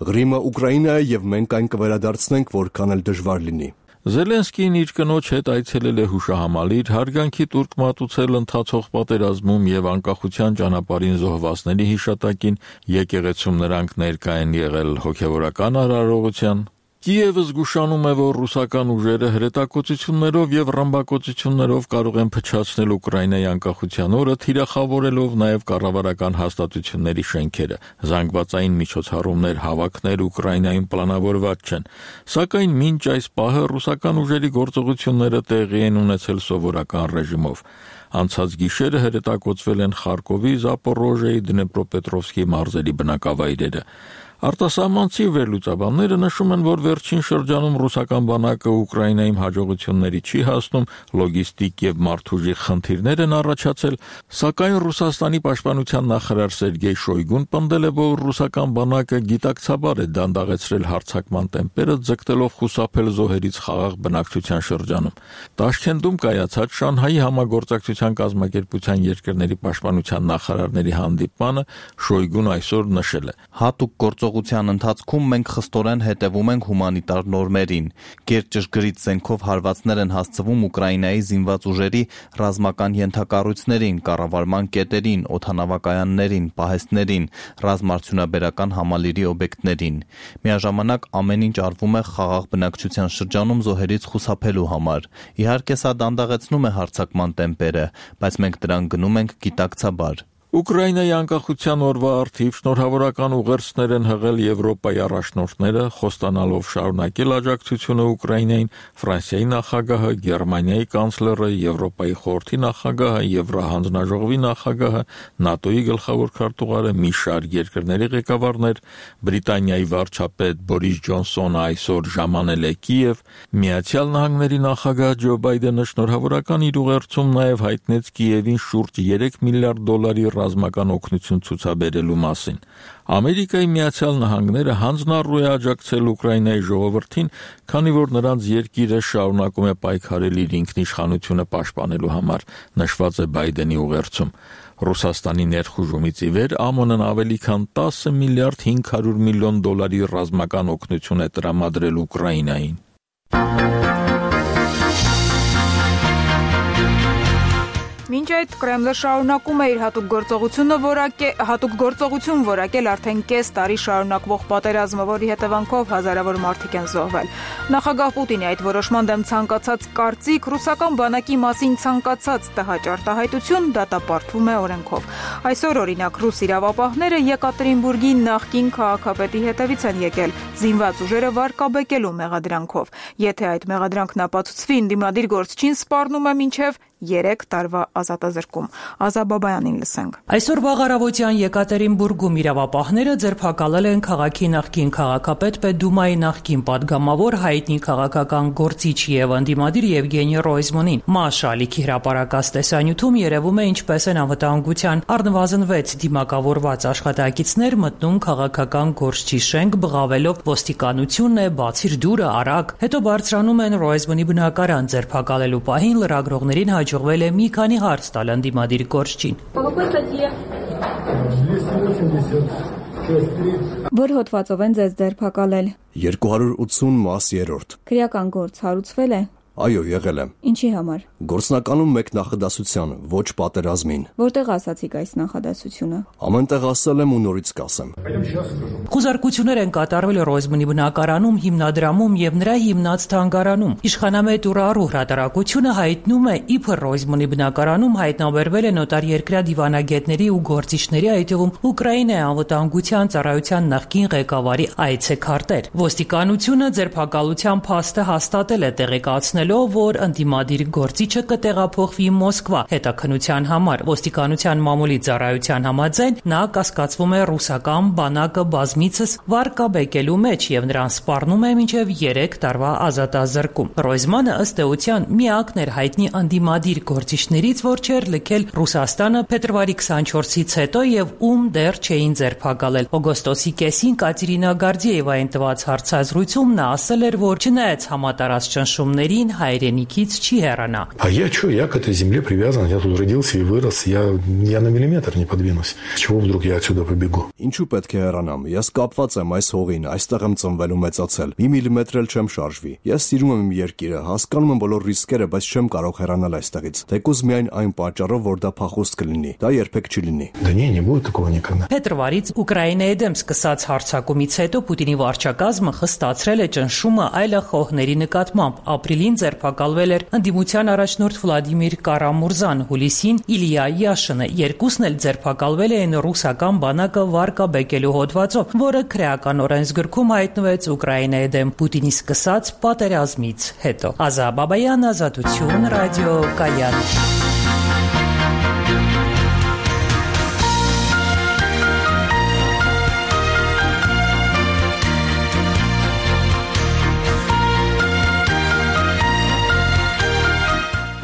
Ղրիմը Ուկրաինա է եւ մենք այն կվերադարձնենք, որքան էլ դժվար լինի։ Զելենսկին իր կնոջ հետ այցելել է հուշահամալիր, հարգանքի տուրք մատուցել ընթացող պատերազմում եւ անկախության ճանապարհին զոհվածների հիշատակին, եկեղեցում նրանք ներկա են եղել հոգեվորական արարողության։ Կիևը զգուշանում է, որ ռուսական ուժերը հրետակոծություններով եւ ռմբակոծություններով կարող են փչացնել Ուկրաինայի անկախության օրը, թիրախավորելով նաեւ կառավարական հաստատությունների շենքերը։ Զանգվածային միջոցառումներ, հավաքներ Ուկրաինայում պլանավորված չեն, սակայն մինչ այս պահը ռուսական ուժերի գործողությունները տեղի են ունեցել սովորական ռեժիմով։ Անցած գիշերը հրետակոծվել են Խարկովի, Զապորոժիայի, Դնեպրոպետրովսկի մարզերի բնակավայրերը։ Արտասահմանցի վերլուծաբանները նշում են, որ վերջին շրջանում ռուսական բանակը Ուկրաինայում հաջողությունների չի հասնում, լոգիստիկ եւ մարդուժի խնդիրներ են առաջացել, սակայն Ռուսաստանի պաշտպանության նախարար Սերգեյ Շոյգուն պնդել է, որ ռուսական բանակը գիտակցաբար է դանդաղեցրել հարձակման տեմպերը, ձգտելով խուսափել զոհերից խաղաղ բնակչության շրջանում։ Տաշքենտում կայացած Շանհայի համագործակցության կազմակերպության երկրների պաշտպանության նախարարների հանդիպմանը Շոյգուն այսօր նշել է. Հատուկ գործողության ընթացքում մենք խստորեն հետևում ենք հումանիտար նորմերին։ Գերճշգրիտ զենքով հարվածներ են հասցվում Ուկրաինայի զինված ուժերի ռազմական ենթակառույցներին, կառավարման կետերին, օդանավակայաններին, պահեստներին, ռազմարդյունաբերական համալիրի օբյեկտներին։ Միաժամանակ ամեն ինչ արվում է խաղաղ բնակչության շրջանում զոհերից խուսափելու համար։ Իհարկե սա դանդաղեցնում է հարձակման տեմպերը, բայց մենք դրան գնում ենք գիտակցաբար։ Ուկրաինայի անկախության օրվա առթիվ շնորհավորական ուղերձներ են հղել Եվրոպայի առաջնորդները, խոստանալով շարունակել աջակցությունը Ուկրաինային, Ֆրանսիայի նախագահը, Գերմանիայի կանցլերը, Եվրոպայի խորհրդի նախագահը, Եվրահանձնաժողովի նախագահը, ՆԱՏՕ-ի գլխավոր քարտուղարը, մի շարք երկրների ղեկավարներ, Բրիտանիայի վարչապետ Բորիս Ջոնսոնը այսօր ժամանել է Կիև, Միացյալ Նահանգների նախագահ Ջո Բայդենը շնորհավորական իր ուղերձում նաև հայտնեց Կիևին շուրջ 3 միլիարդ դոլարի ռազմական օգնություն ցուցաբերելու մասին։ Ամերիկայի Միացյալ Նահանգները հանձնառու է աջակցել Ուկրաինայի ժողովրդին, քանի որ նրանց երկիրը շարունակում է պայքարել իր ինքնիշխանությունը պաշտպանելու համար, նշված է Բայդենի ուղերձում։ Ռուսաստանի ներխուժումից ի վեր ԱՄՆ-ն ավելի քան 10 միլիարդ 500 միլիոն դոլարի ռազմական օգնություն է տրամադրել Ուկրաինային։ Մինչ այդ Կրեմլը շարունակում է իր հատուկ գործողություն որակել արդեն կես տարի շարունակվող պատերազմը, որի հետևանքով հազարավոր մարդիկ են զոհվել։ Նախագահ Պուտինի այդ որոշման դեմ ցանկացած կարծիք, ռուսական բանակի մասին ցանկացած տհաճ արտահայտություն դատապարտվում է օրենքով։ Այսօր օրինակ ռուս իրավապահները Եկատերինբուրգի նախկին քաղաքապետի հետևից են եկել զինված ուժերը վարկաբեկելու մեղադրանքով։ Եթե այդ մեղադրանքն ապացուցվի, ընդդիմադիր գործչին սպառնում է մինչև 3 տարվա ազատազրկում։ Ազաբաբայանին լսենք։ Այսօր վաղ առավոտյան Եկատերինբուրգում իրավապահները ձերբակալել են քաղաքի նախկին քաղաքապետ Պետդումայի նախկին падգամավոր հայտնի քաղաքական գործիչ եւ ընդդիմադիր Եվգենի Ռոյզմանին։ ՄԱՇ ալիքի հրապարակած տեսանյութում երևում է ինչպես են անվտանգության առնվազն 6 դիմակավորված աշխատակիցներ մտնում քաղաքական գործչի շենք, բղավելով ոստիկանությունն է, բացիր դուրը, արագ։ Հետո բարձրանում են Ռոյզմանի բնակարան, ձերբակալելու պահին լրագրողներին հաջողվել է մի քանի հարց տալ ընդդիմադիր գործչին։ Որ հոդվածով են ձեզ ձերբակալել։ 280 մաս 3։ Քրեական գործ հարուցվել է։ Այո, եղել եմ։ Ինչի համար։ Գործնականում մեկ նախադասության, ոչ պատերազմին։ Որտեղ ասացիք այս նախադասությունը։ Ամենտեղ ասել եմ ու նորից կասեմ։ Խուզարկություններ են կատարվել Ռոյզմանի բնակարանում, հիմնադրամում եւ նրա հիմնած թանգարանում։ Իշխանամետ Ուրարու հրատարակությունը հայտնում է, իբր Ռոյզմանի բնակարանում հայտնաբերվել են օտարերկրյա դիվանագետների ու գործիչների, այդ թվում Ուկրաինայի անվտանգության ծառայության նախկին ղեկավարի այցեքարտեր։ Ոստիկանությունը ձերբակալության փաստը հաստատել է, տեղեկացնելով, որ ընդդիմադիր գործիչը կտեղափոխվի Մոսկվա հետաքննության համար։ Ոստիկանության մամուլի ծառայության համաձայն նա կասկածվում է ռուսական բանակը բազմիցս վարկաբեկելու մեջ եւ նրան սպառնում է մինչեւ 3 տարվա ազատազրկում։ Ռոյզմանը ըստ էության միակն էր հայտնի ընդդիմադիր գործիչներից, որ չէր լքել Ռուսաստանը փետրվարի 24-ից հետո եւ ում դեռ չէին ձերբակալել։ Օգոստոսի կեսին Կատերինա Գարդիևային տված հարցազրույցում նա ասել էր, որ չնայած համատարած ճնշումներին հայրենիքից չի հեռանա։ Я что, я к этой земле привязан, я тут родился и вырос, я на миллиметр не подвинусь. С чего вдруг я отсюда побегу? Ինչու պետք է հեռանամ։ Ես կապված եմ այս հողին, այստեղ եմ ծնվել ու մեծացել։ Մի միլիմետր էլ չեմ շարժվի։ Ես սիրում եմ իմ երկիրը, հասկանում եմ բոլոր ռիսկերը, բայց չեմ կարող հեռանալ այստեղից։ Թեկուզ միայն այն պատճառով, որ դա փախուստ кլինի։ Դա երբեք չլինի։ Да не будет такого никогда. Փետրվարից Ուկրաինայի դեմ սկսած հարձակումից հետո Պուտինի վարչակազմը խստացրել է ճնշումը այլախոհների նկատմամբ։ Ապրիլին ձերբակալվել էր ընդդիմության առաջնորդ Վլադիմիր Կարամուրզան, հուլիսին Իլիա Յաշինը։ Երկուսն էլ ձերբակալվել էին ռուսական բանակը վարկաբեկելու հոդվածով, որը քրեական օրենսգրքում հայտնվեց Ուկրաինայի դեմ Պուտինի սկսած պատերազմից հետո։ Ազա Բաբայան, Ազատություն, Ռադիո Կայան։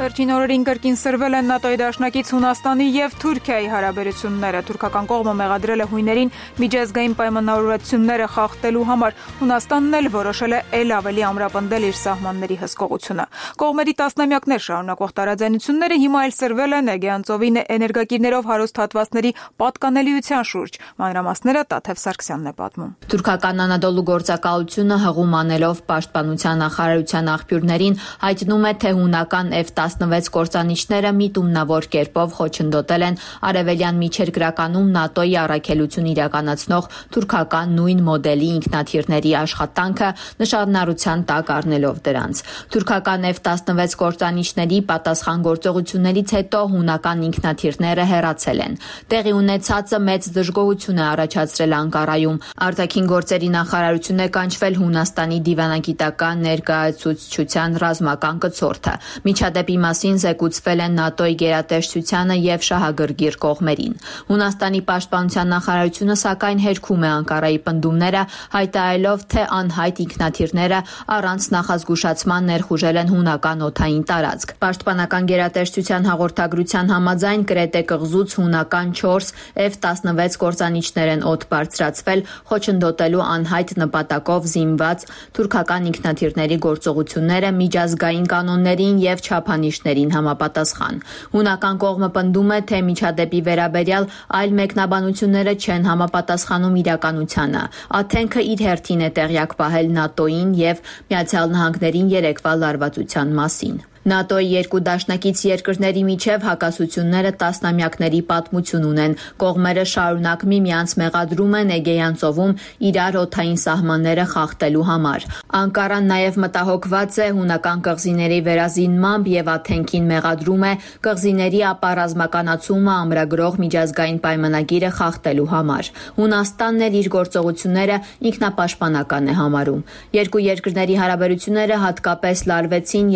Վերջին օրերին կրկին սրվել են ՆԱՏՕ-ի դաշնակից Հունաստանի եւ Թուրքիայի հարաբերությունները։ Թուրքական կողմը մեղադրել է հույներին միջազգային պայմանավորվածությունները խախտելու համար։ Հունաստանն էլ որոշել է ել ավելի ամրապնդել իր սահմանների հսկողությունը։ Կողմերի տասնամյակներ շարունակող տարաձայնությունները հիմա էլ սրվել են Էգեյան ծովի էներգակիրներով հարուստ հատվածների պատկանելիության շուրջ։ Մանրամասները Տաթև Սարգսյանն է պատմում։ Թուրքական Անադոլու գործակալությունը հղում անելով պաշտպանության նախարարության աղբյուրներին հայտնում է, թե հունական F-16 կործանիչները միտումնավոր կերպով խոչընդոտել են արևելյան միջերկրականում ՆԱՏՕ-ի առաքելություն իրականացնող թուրքական նույն մոդելի ինքնաթիռների աշխատանքը նշանառության տակ առնելով դրանց։ Թուրքական F-16 կործանիչների պատասխանատվություններից հետո հունական ինքնաթիռները հեռացել են։ Տեղի ունեցածը մեծ դժգոհություն է առաջացրել Անկարայում։ Արտաքին գործերի նախարարությունը կանչվել Հունաստանի դիվանագիտական ներկայացուցչության ռազմական կցորդը։ Միջադեպի մասին զեկուցվել են ՆԱՏՕ-ի գերատեսչությանը եւ շահագրգիռ կողմերին։ Հունաստանի պաշտպանության նախարարությունը սակայն հերքում է Անկարայի պնդումները, հայտարարելով, թե անհայտ ինքնաթիռները առանց նախազգուշացման ներխուժել են հունական օդային տարածք։ Պաշտպանական գերատեսչության հաղորդագրության համաձայն Կրետե կղզուց հունական 4 F-16 կործանիչներ են օդ բարձրացվել խոչընդոտելու անհայտ նպատակով զինված թուրքական ինքնաթիռների գործողությունները միջազգային կանոններին եւ չափանիշներին համապատասխան։ Հունական կողմը պնդում է, թե միջադեպի վերաբերյալ այլ մեկնաբանությունները չեն համապատասխանում իրականությանը։ Աթենքը իր հերթին է տեղյակ պահել ՆԱՏՕ-ին եւ Միացյալ Նահանգներին երեկվա լարվածության մասին։ ՆԱՏՕ-ի երկու դաշնակից երկրների միջև հակասությունները տասնամյակների պատմություն ունեն։ Կողմերը շարունակ միմյանց մեղադրում են Էգեյան ծովում իրար օդային սահմանները խախտելու համար։ Անկարան նաև մտահոգված է հունական կղզիների վերազինմամբ եւ Աթենքին մեղադրում է կղզիների ապառազմականացումը ամրագրող միջազգային պայմանագիրը խախտելու համար։ Հունաստանն էլ իր գործողությունները ինքնապաշտպանական է համարում։ Երկու երկրների հարաբերությունները հատկապես լարվեցին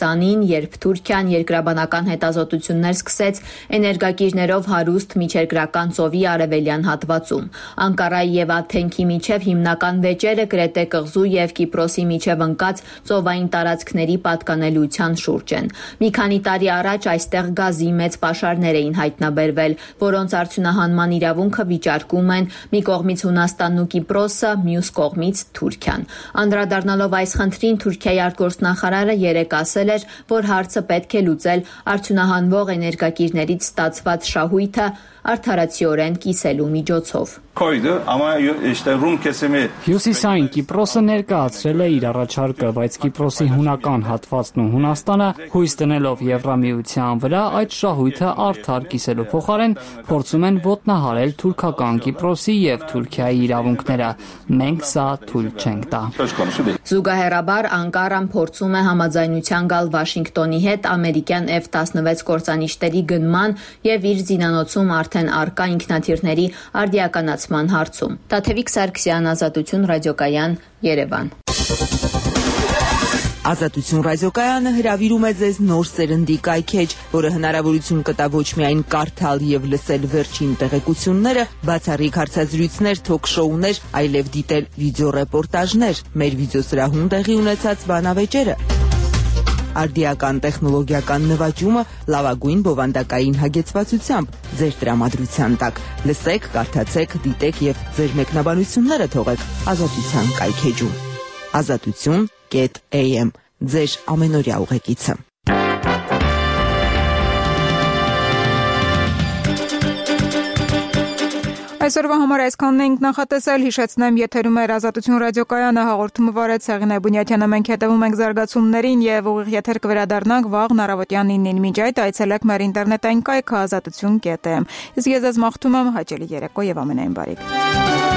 2020-ին, երբ Թուրքիան երկրաբանական հետազոտություններ սկսեց էներգակիրներով հարուստ միջերկրական ծովի արևելյան հատվածում։ Անկարայի եւ Աթենքի միջև հիմնական վեճերը Կրետե կղզու եւ Կիպրոսի միջև ընկած ծովային տարածքների պատկանելիության շուրջ են։ Մի քանի տարի առաջ այստեղ գազի մեծ պաշարներ էին հայտնաբերվել, որոնց արդյունահանման իրավունքը վիճարկում են մի կողմից Հունաստանն ու Կիպրոսը, մյուս կողմից Թուրքիան։ Անդրադառնալով այս խնդրին Թուրքիայի արտգործնախարարը երեկ ասել է, էր, որ հարցը պետք է լուծել արդյունահանվող էներգակիրներից ստացված շահույթը արդարացիորեն կիսելու միջոցով։ Հյուսիսային Կիպրոսը ներկայացրել է իր առաջարկը, բայց Կիպրոսի հունական հատվածն ու Հունաստանը հույս դնելով Եվրամիության վրա այդ շահույթը արդար կիսելու փոխարեն փորձում են ոտնահարել թուրքական Կիպրոսի եւ Թուրքիայի իրավունքները։ Մենք սա թույլ չենք տա։ Զուգահեռաբար Անկարան փորձում է համաձայնության գալ Վաշինգտոնի հետ ամերիկյան F-16 կործանիչների գնման եւ իր զինանոցում արդեն արկա ինքնաթիռների արդիականացման հարցում։ Տաթևիկ Սարգսյան, Ազատություն ռադիոկայան, Երևան։ Ազատություն ռադիոկայանը հրավիրում է ձեզ նոր սերնդի կայքեջ, որը հնարավորություն կտա ոչ միայն կարդալ եւ լսել վերջին տեղեկությունները, բացառիկ հարցազրույցներ, թոք-շոուներ, այլև դիտել վիդեոռեպորտաժներ, մեր վիդեոսրահում տեղի ունեցած բանավեճերը, արդիական տեխնոլոգիական նվաճումը լավագույն բովանդակային հագեցվածությամբ ձեր տրամադրության տակ։ Լսեք, կարդացեք, դիտեք եւ ձեր մեկնաբանությունները թողեք Ազատության կայքեջում։ Azatutun.am ձեր ամենօրյա ուղեկիցը։ Այսօրվա համար այսքանն ենք նախատեսել, հիշեցնեմ, եթերում էր Ազատություն ռադիոկայանը, հաղորդումը վարեց Սեղինե Բունյաթյանը, մենք հետևում ենք զարգացումներին եւ ուղիղ եթեր կվերադառնանք վաղ առավոտյան 9-ին, մինչ այդ այցելեք մեր ինտերնետային կայքը azatutun.am։ Իսկ ես ձեզ մաղթում եմ հաճելի երեկո եւ ամենայն բարիք։